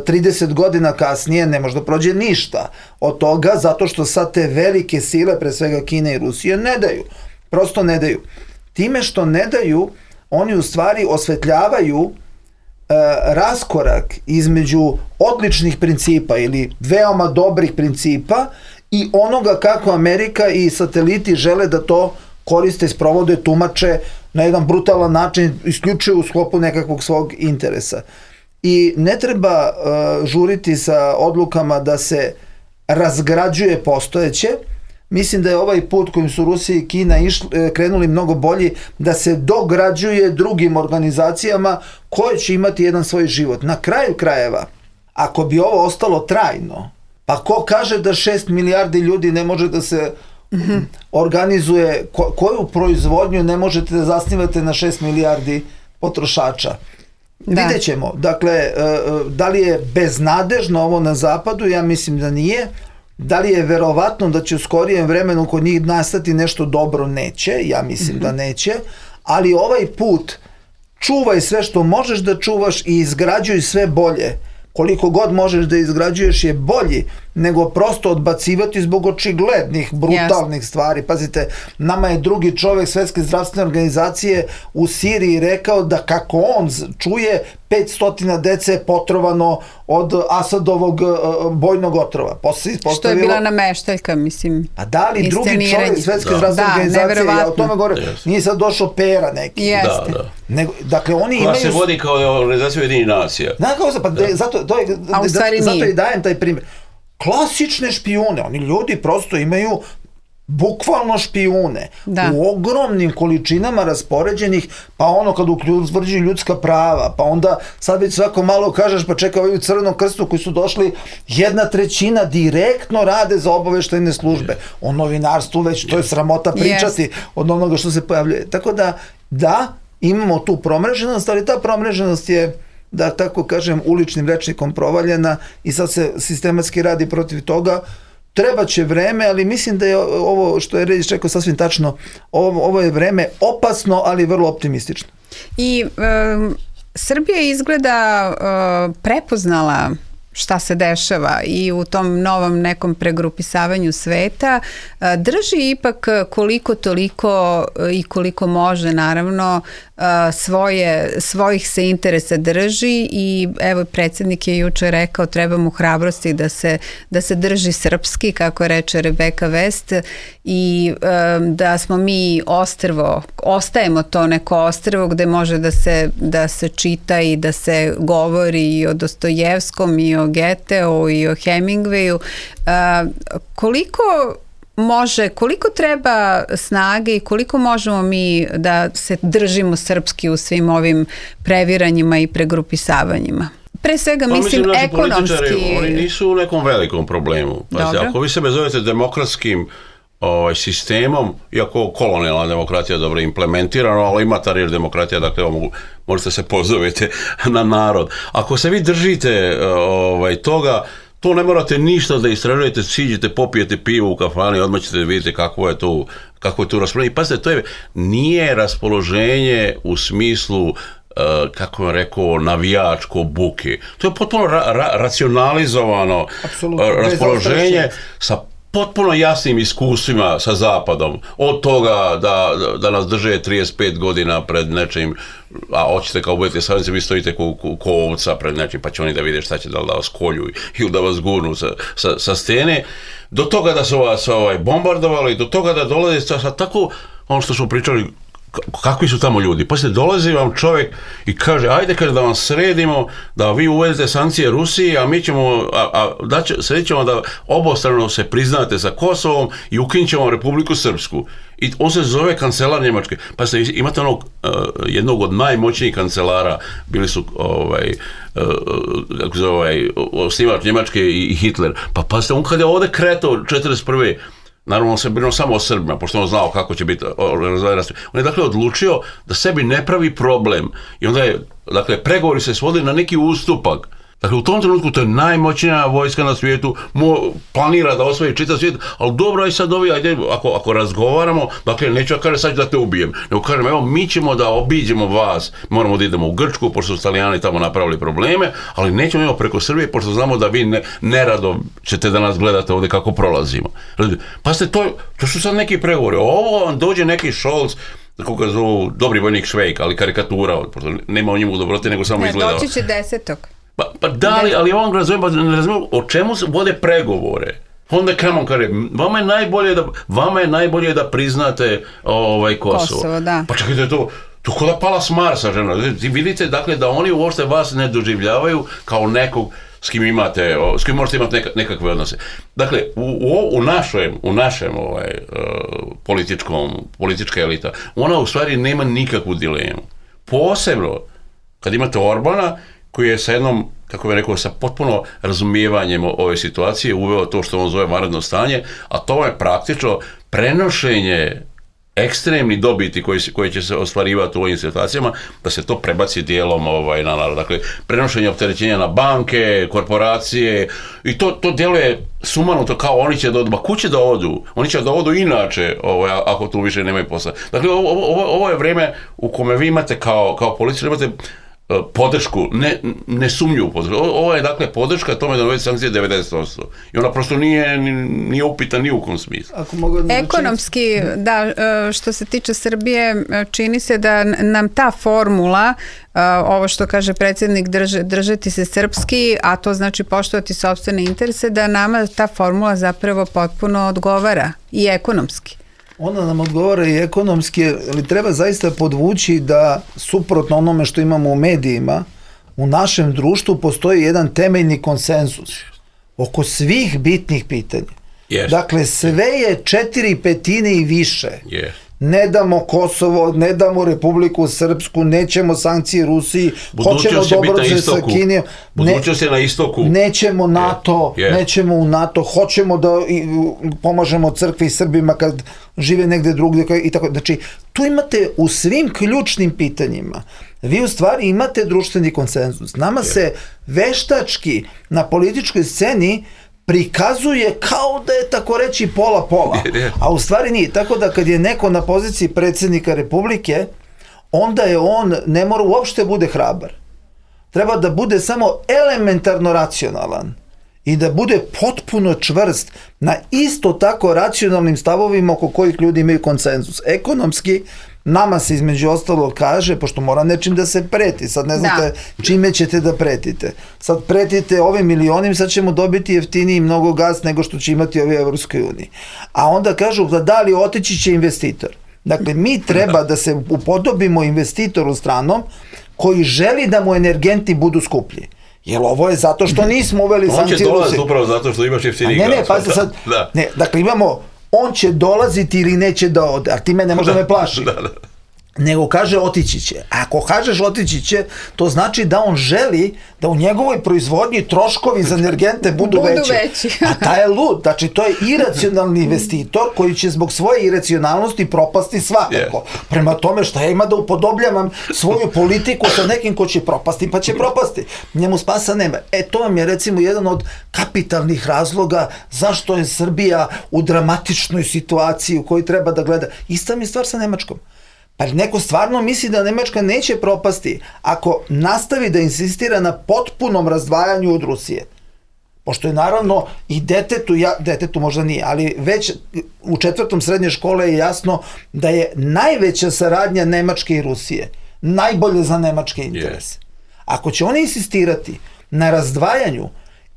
trideset godina kasnije ne može da prođe ništa od toga, zato što sad te velike sile, pre svega Kina i Rusija, ne daju. Prosto ne daju. Time što ne daju, oni u stvari osvetljavaju e, raskorak između odličnih principa ili veoma dobrih principa i onoga kako Amerika i sateliti žele da to koriste, sprovode, tumače na jedan brutalan način, isključuju u sklopu nekakvog svog interesa. I ne treba uh, žuriti sa odlukama da se razgrađuje postojeće. Mislim da je ovaj put kojim su Rusija i Kina išli, krenuli mnogo bolji, da se dograđuje drugim organizacijama koje će imati jedan svoj život. Na kraju krajeva, ako bi ovo ostalo trajno, pa ko kaže da šest milijardi ljudi ne može da se mm-hmm. organizuje, ko, koju proizvodnju ne možete da zasnivate na šest milijardi potrošača? Da. Vidjet ćemo. Dakle, da li je beznadežno ovo na zapadu? Ja mislim da nije. Da li je verovatno da će u skorijem vremenu kod njih nastati nešto dobro? Neće. Ja mislim mm-hmm. da neće. Ali ovaj put čuvaj sve što možeš da čuvaš i izgrađuj sve bolje. Koliko god možeš da izgrađuješ je bolji nego prosto odbacivati zbog očiglednih, brutalnih yes. stvari. Pazite, nama je drugi čovjek Svetske zdravstvene organizacije u Siriji rekao da kako on čuje petsto dece je potrovano od Asadovog uh, bojnog otrova. Što je bila nameštaljka, mislim. A da li drugi čovjek Svetske da. zdravstvene da, organizacije, ja o tome govorim, yes. nije sad došao Pera neki. Jeste. Da, da. Nego, dakle, oni koja imaju... se vodi kao organizacija Ujedinjenih nacija. Da, kao se, pa da. zato, to je, da, zato i dajem taj primjer. Klasične špijune, oni ljudi prosto imaju bukvalno špijune da. u ogromnim količinama raspoređenih, pa ono kad utvrđuju ljudska prava, pa onda sad već svako malo kažeš, pa čekaj, ovi u Crvenom krstu koji su došli, jedna trećina direktno rade za obaveštajne službe. O novinarstvu već, to je sramota pričati yes. od onoga što se pojavljuje. Tako da, da, imamo tu promreženost, ali ta promreženost je, da tako kažem, uličnim rečnikom provaljena i sad se sistematski radi protiv toga. Treba će vreme, ali mislim da je ovo što je Reljić rekao sasvim tačno, ovo, ovo je vreme opasno, ali vrlo optimistično. I um, Srbija izgleda uh, prepoznala šta se dešava i u tom novom nekom pregrupisavanju sveta, drži ipak koliko toliko i koliko može, naravno, svoje, svojih se interesa drži i evo predsjednik je juče rekao treba mu hrabrosti da se, da se drži srpski, kako reče Rebeka West, i da smo mi ostrvo, ostajemo to neko ostrvo gde može da se, da se čita i da se govori i o Dostojevskom i o Goetheu i o Hemingwayu. Koliko može, koliko treba snage i koliko možemo mi da se držimo srpski u svim ovim previranjima i pregrupisavanjima? Pre svega, pa, mislim, mislim ekonomski... Oni nisu u nekom velikom problemu. Pazite, ako vi sebe zovete demokratskim ovaj, sistemom, iako kolonijalna demokratija dobro implementirana, ali ima ta riječ demokratija, dakle mogu, možete se pozovete na narod. Ako se vi držite ovaj, toga, to ne morate ništa da istražujete, siđete, popijete pivo u kafani, odmah ćete vidjeti kako je to, kako je to raspoloženje. Pazite, to je, nije raspoloženje u smislu, uh, kako vam rekao, navijačko buke. To je potpuno ra- ra- racionalizovano uh, raspoloženje sa potpuno jasnim iskustvima sa Zapadom. Od toga da, da nas drže trideset pet godina pred nečim, a hoćete kao budete savjenici, vi stojite ko, ko, ko ovca pred nečim, pa će oni da vide šta će, da li da vas kolju ili da vas gurnu sa, sa, sa stene. Do toga da su vas ovaj, bombardovali, do toga da dolaze sa, sa tako, ono što smo pričali, kakvi su tamo ljudi. Poslije dolazi vam čovjek i kaže, ajde kaže da vam sredimo, da vi uvedete sankcije Rusiji, a mi ćemo, a, a da će, sredit ćemo da obostrano se priznate sa Kosovom i ukinut ćemo Republiku Srpsku. I on se zove kancelar Njemačke. Pa ste, imate onog, uh, jednog od najmoćnijih kancelara, bili su ovaj, uh, kako zove, ovaj, osnivač Njemačke i, i Hitler. Pa pa ste, on kad je ovdje kretao četrdeset prve naravno on se brinuo samo o Srbima, pošto on znao kako će biti organizovano. On je dakle odlučio da sebi ne pravi problem i onda je, dakle, pregovori se svodili na neki ustupak. Dakle, u tom trenutku to je najmoćnija vojska na svijetu, mo, planira da osvoji čitav svijet, ali dobro je sad ovi, ajde, ako, ako razgovaramo, dakle, neću ja kažem sad da te ubijem, nego kažem, evo, mi ćemo da obiđemo vas, moramo da idemo u Grčku, pošto su Italijani tamo napravili probleme, ali nećemo evo preko Srbije, pošto znamo da vi ne, nerado ćete da nas gledate ovdje kako prolazimo. Pa ste to, to su sad neki pregovori, ovo vam dođe neki Scholz, kako ga zovu, dobri vojnik Švejk, ali karikatura, nema o njemu dobrote, nego samo ne, izgleda. Doći će desetog. Pa, pa da li, ali on razumije, ne razumije o čemu se vode pregovore. Onda Kramon kaže, vama je najbolje da, vama je najbolje da priznate ovaj, Kosovo. Kosovo, da. Pa čekajte, to, to kod da pala s Marsa, žena. Vidite, dakle, da oni uopšte vas ne doživljavaju kao nekog s kim imate, s kim možete imati neka, nekakve odnose. Dakle, u, u, u našem, u našem ovaj, uh, političkom, politička elita, ona u stvari nema nikakvu dilemu. Posebno, kad imate Orbana, koji je sa jednom, kako bih rekao, sa potpuno razumijevanjem ove situacije uveo to što on zove vanredno stanje, a to je praktično prenošenje ekstremni dobiti koji, koji će se ostvarivati u ovim situacijama, da se to prebaci dijelom ovaj, na narod. Dakle, prenošenje opterećenja na banke, korporacije, i to, to djeluje sumanuto kao oni će da odu, ma kuće da odu, oni će da odu inače, ovaj, ako tu više nemaju posla. Dakle, ovo, ovo, ovo je vrijeme u kome vi imate kao, kao policiju, imate podršku, ne, ne sumnju u podršku. Ovo je dakle podrška tome da uvede sankcije devedeset posto. I ona prosto nije, nije upita ni u kom smislu. Ekonomski, da, što se tiče Srbije, čini se da nam ta formula, ovo što kaže predsjednik, drž, držati se srpski, a to znači poštovati sopstvene interese, da nama ta formula zapravo potpuno odgovara i ekonomski. Ona nam odgovara i ekonomski, ali treba zaista podvući da suprotno onome što imamo u medijima, u našem društvu postoji jedan temeljni konsenzus oko svih bitnih pitanja. Yes. Dakle, sve je četiri petine i više. Yes. Ne damo Kosovo, ne damo Republiku Srpsku, nećemo sankcije Rusiji, hoćemo dobro sa Kinijom, budućnost je na istoku. Nećemo NATO, yeah. Yeah. nećemo u NATO, hoćemo da pomažemo crkvi i Srbima kad žive negde drugdje i tako. Znači, tu imate u svim ključnim pitanjima, vi u stvari imate društveni konsenzus. Nama yeah. se veštački na političkoj sceni prikazuje kao da je tako reći pola-pola, a u stvari nije. Tako da kad je neko na poziciji predsjednika Republike, onda je on, ne mora uopšte bude hrabar. Treba da bude samo elementarno racionalan i da bude potpuno čvrst na isto tako racionalnim stavovima oko kojih ljudi imaju konsenzus. Ekonomski, nama se između ostalog kaže, pošto mora nečim da se preti, sad ne znate da. čime ćete da pretite. Sad pretite ovim milionim, sad ćemo dobiti jeftiniji mnogo gas nego što će imati ovi Evropskoj uniji. A onda kažu da da li otići će investitor. Dakle, mi treba da se upodobimo investitoru stranom koji želi da mu energenti budu skuplji. Jer ovo je zato što nismo uveli sankcije Rusije. On će dolaziti upravo zato što imaš jeftiniji gas. Ne, ne, pazite sad, da. ne, dakle imamo on će dolaziti ili neće da ode, a ti me ne može da me plaši. Da, da. Nego kaže otići će. A ako kažeš otići će, to znači da on želi da u njegovoj proizvodnji troškovi za energente budu, budu veći. veći. A taj je lud. Znači, to je iracionalni investitor koji će zbog svoje iracionalnosti propasti svakako. Yeah. Prema tome, šta ja ima da upodobljavam svoju politiku sa nekim ko će propasti, pa će propasti. Njemu spasa nema. E, to vam je recimo jedan od kapitalnih razloga zašto je Srbija u dramatičnoj situaciji u kojoj treba da gleda. Ista mi je stvar sa Nemačkom. Pa neko stvarno misli da Nemačka neće propasti ako nastavi da insistira na potpunom razdvajanju od Rusije. Pošto je naravno i detetu, ja, detetu možda nije, ali već u četvrtom srednje škole je jasno da je najveća saradnja Nemačke i Rusije. Najbolje za nemačke interese. Ako će oni insistirati na razdvajanju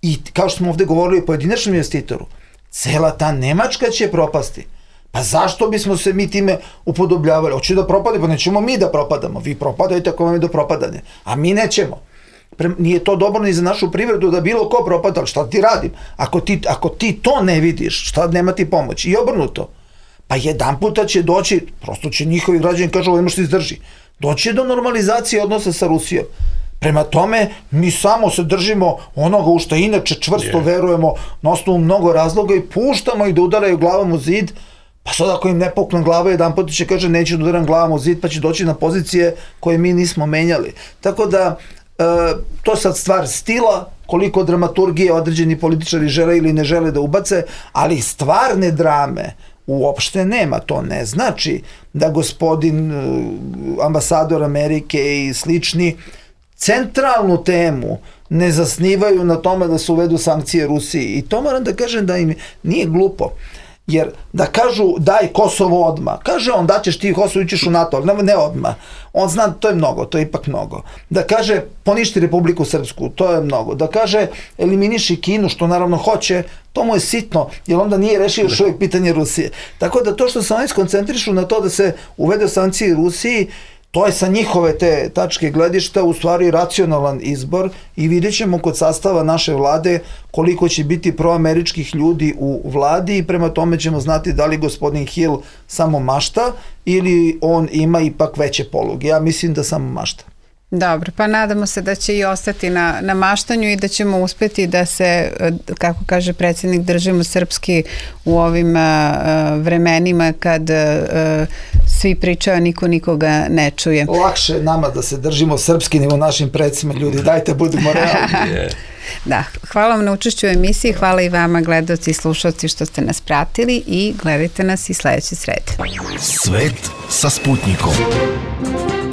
i kao što smo ovdje govorili o pojedinačnom investitoru, cela ta Nemačka će propasti. Pa zašto bismo se mi time upodobljavali? Hoće da propade, pa nećemo mi da propadamo. Vi propadajte ako vam je do propadanja. A mi nećemo. Pre, nije to dobro ni za našu privredu da bilo ko propada, ali šta ti radim? Ako ti, ako ti to ne vidiš, šta nema ti pomoć? I obrnuto. Pa jedan puta će doći, prosto će njihovi građani kažu, ovo ne možete izdrži. Doći do normalizacije odnosa sa Rusijom. Prema tome, mi samo se držimo onoga u što inače čvrsto yeah. verujemo na osnovu mnogo razloga i puštamo ih da udaraju glavom u zid. Pa sad ako im ne pukne glava, jedan put će kaže neću da udaram glavom u zid, pa će doći na pozicije koje mi nismo menjali. Tako da to je sad stvar stila, koliko dramaturgije određeni političari žele ili ne žele da ubace, ali stvarne drame uopšte nema. To ne znači da gospodin ambasador Amerike i slični centralnu temu ne zasnivaju na tome da se uvedu sankcije Rusiji. I to moram da kažem da im nije glupo. Jer da kažu daj Kosovo odmah, kaže on daćeš ti Kosovo, ićeš u NATO, ali ne odmah. On zna, to je mnogo, to je ipak mnogo. Da kaže poništi Republiku Srpsku, to je mnogo. Da kaže eliminiši Kinu, što naravno hoće, to mu je sitno, jer onda nije rešio još uvijek pitanje Rusije. Tako da to što se oni skoncentrišu na to da se uvede sankcije Rusiji, to je sa njihove te tačke gledišta u stvari racionalan izbor i vidjet ćemo kod sastava naše vlade koliko će biti proameričkih ljudi u vladi i prema tome ćemo znati da li gospodin Hill samo mašta ili on ima ipak veće poluge. Ja mislim da samo mašta. Dobro, pa nadamo se da će i ostati na, na maštanju i da ćemo uspjeti da se, kako kaže predsjednik, držimo srpski u ovim uh, vremenima kad uh, svi pričaju, niko nikoga ne čuje. Lakše nama da se držimo srpski nego našim predsima, ljudi, dajte budimo realni. Da, hvala vam na učešću u emisiji, hvala i vama gledaoci i slušalci što ste nas pratili i gledajte nas i sljedeće srede. Svet sa Sputnikom.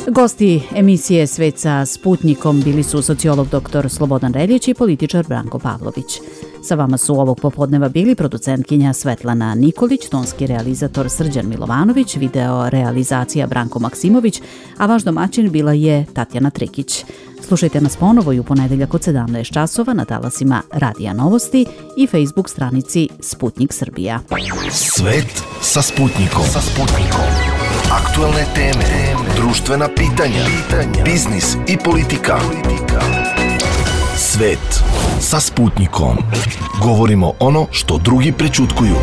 Gosti emisije Svet sa Sputnikom bili su sociolog doktor Slobodan Reljić i političar Branko Pavlović. Sa vama su ovog popodneva bili producentkinja Svetlana Nikolić, tonski realizator Srđan Milovanović, video realizacija Branko Maksimović, a vaš domaćin bila je Tatjana Trikić. Slušajte nas ponovo i u ponedeljak od sedamnaest časova na talasima Radija Novosti i Facebook stranici Sputnik Srbija. Svet sa Sputnikom. Sa Sputnikom. Aktualne teme, društvena pitanja, biznis i politika. Svet sa Sputnikom. Govorimo ono što drugi prećutkuju.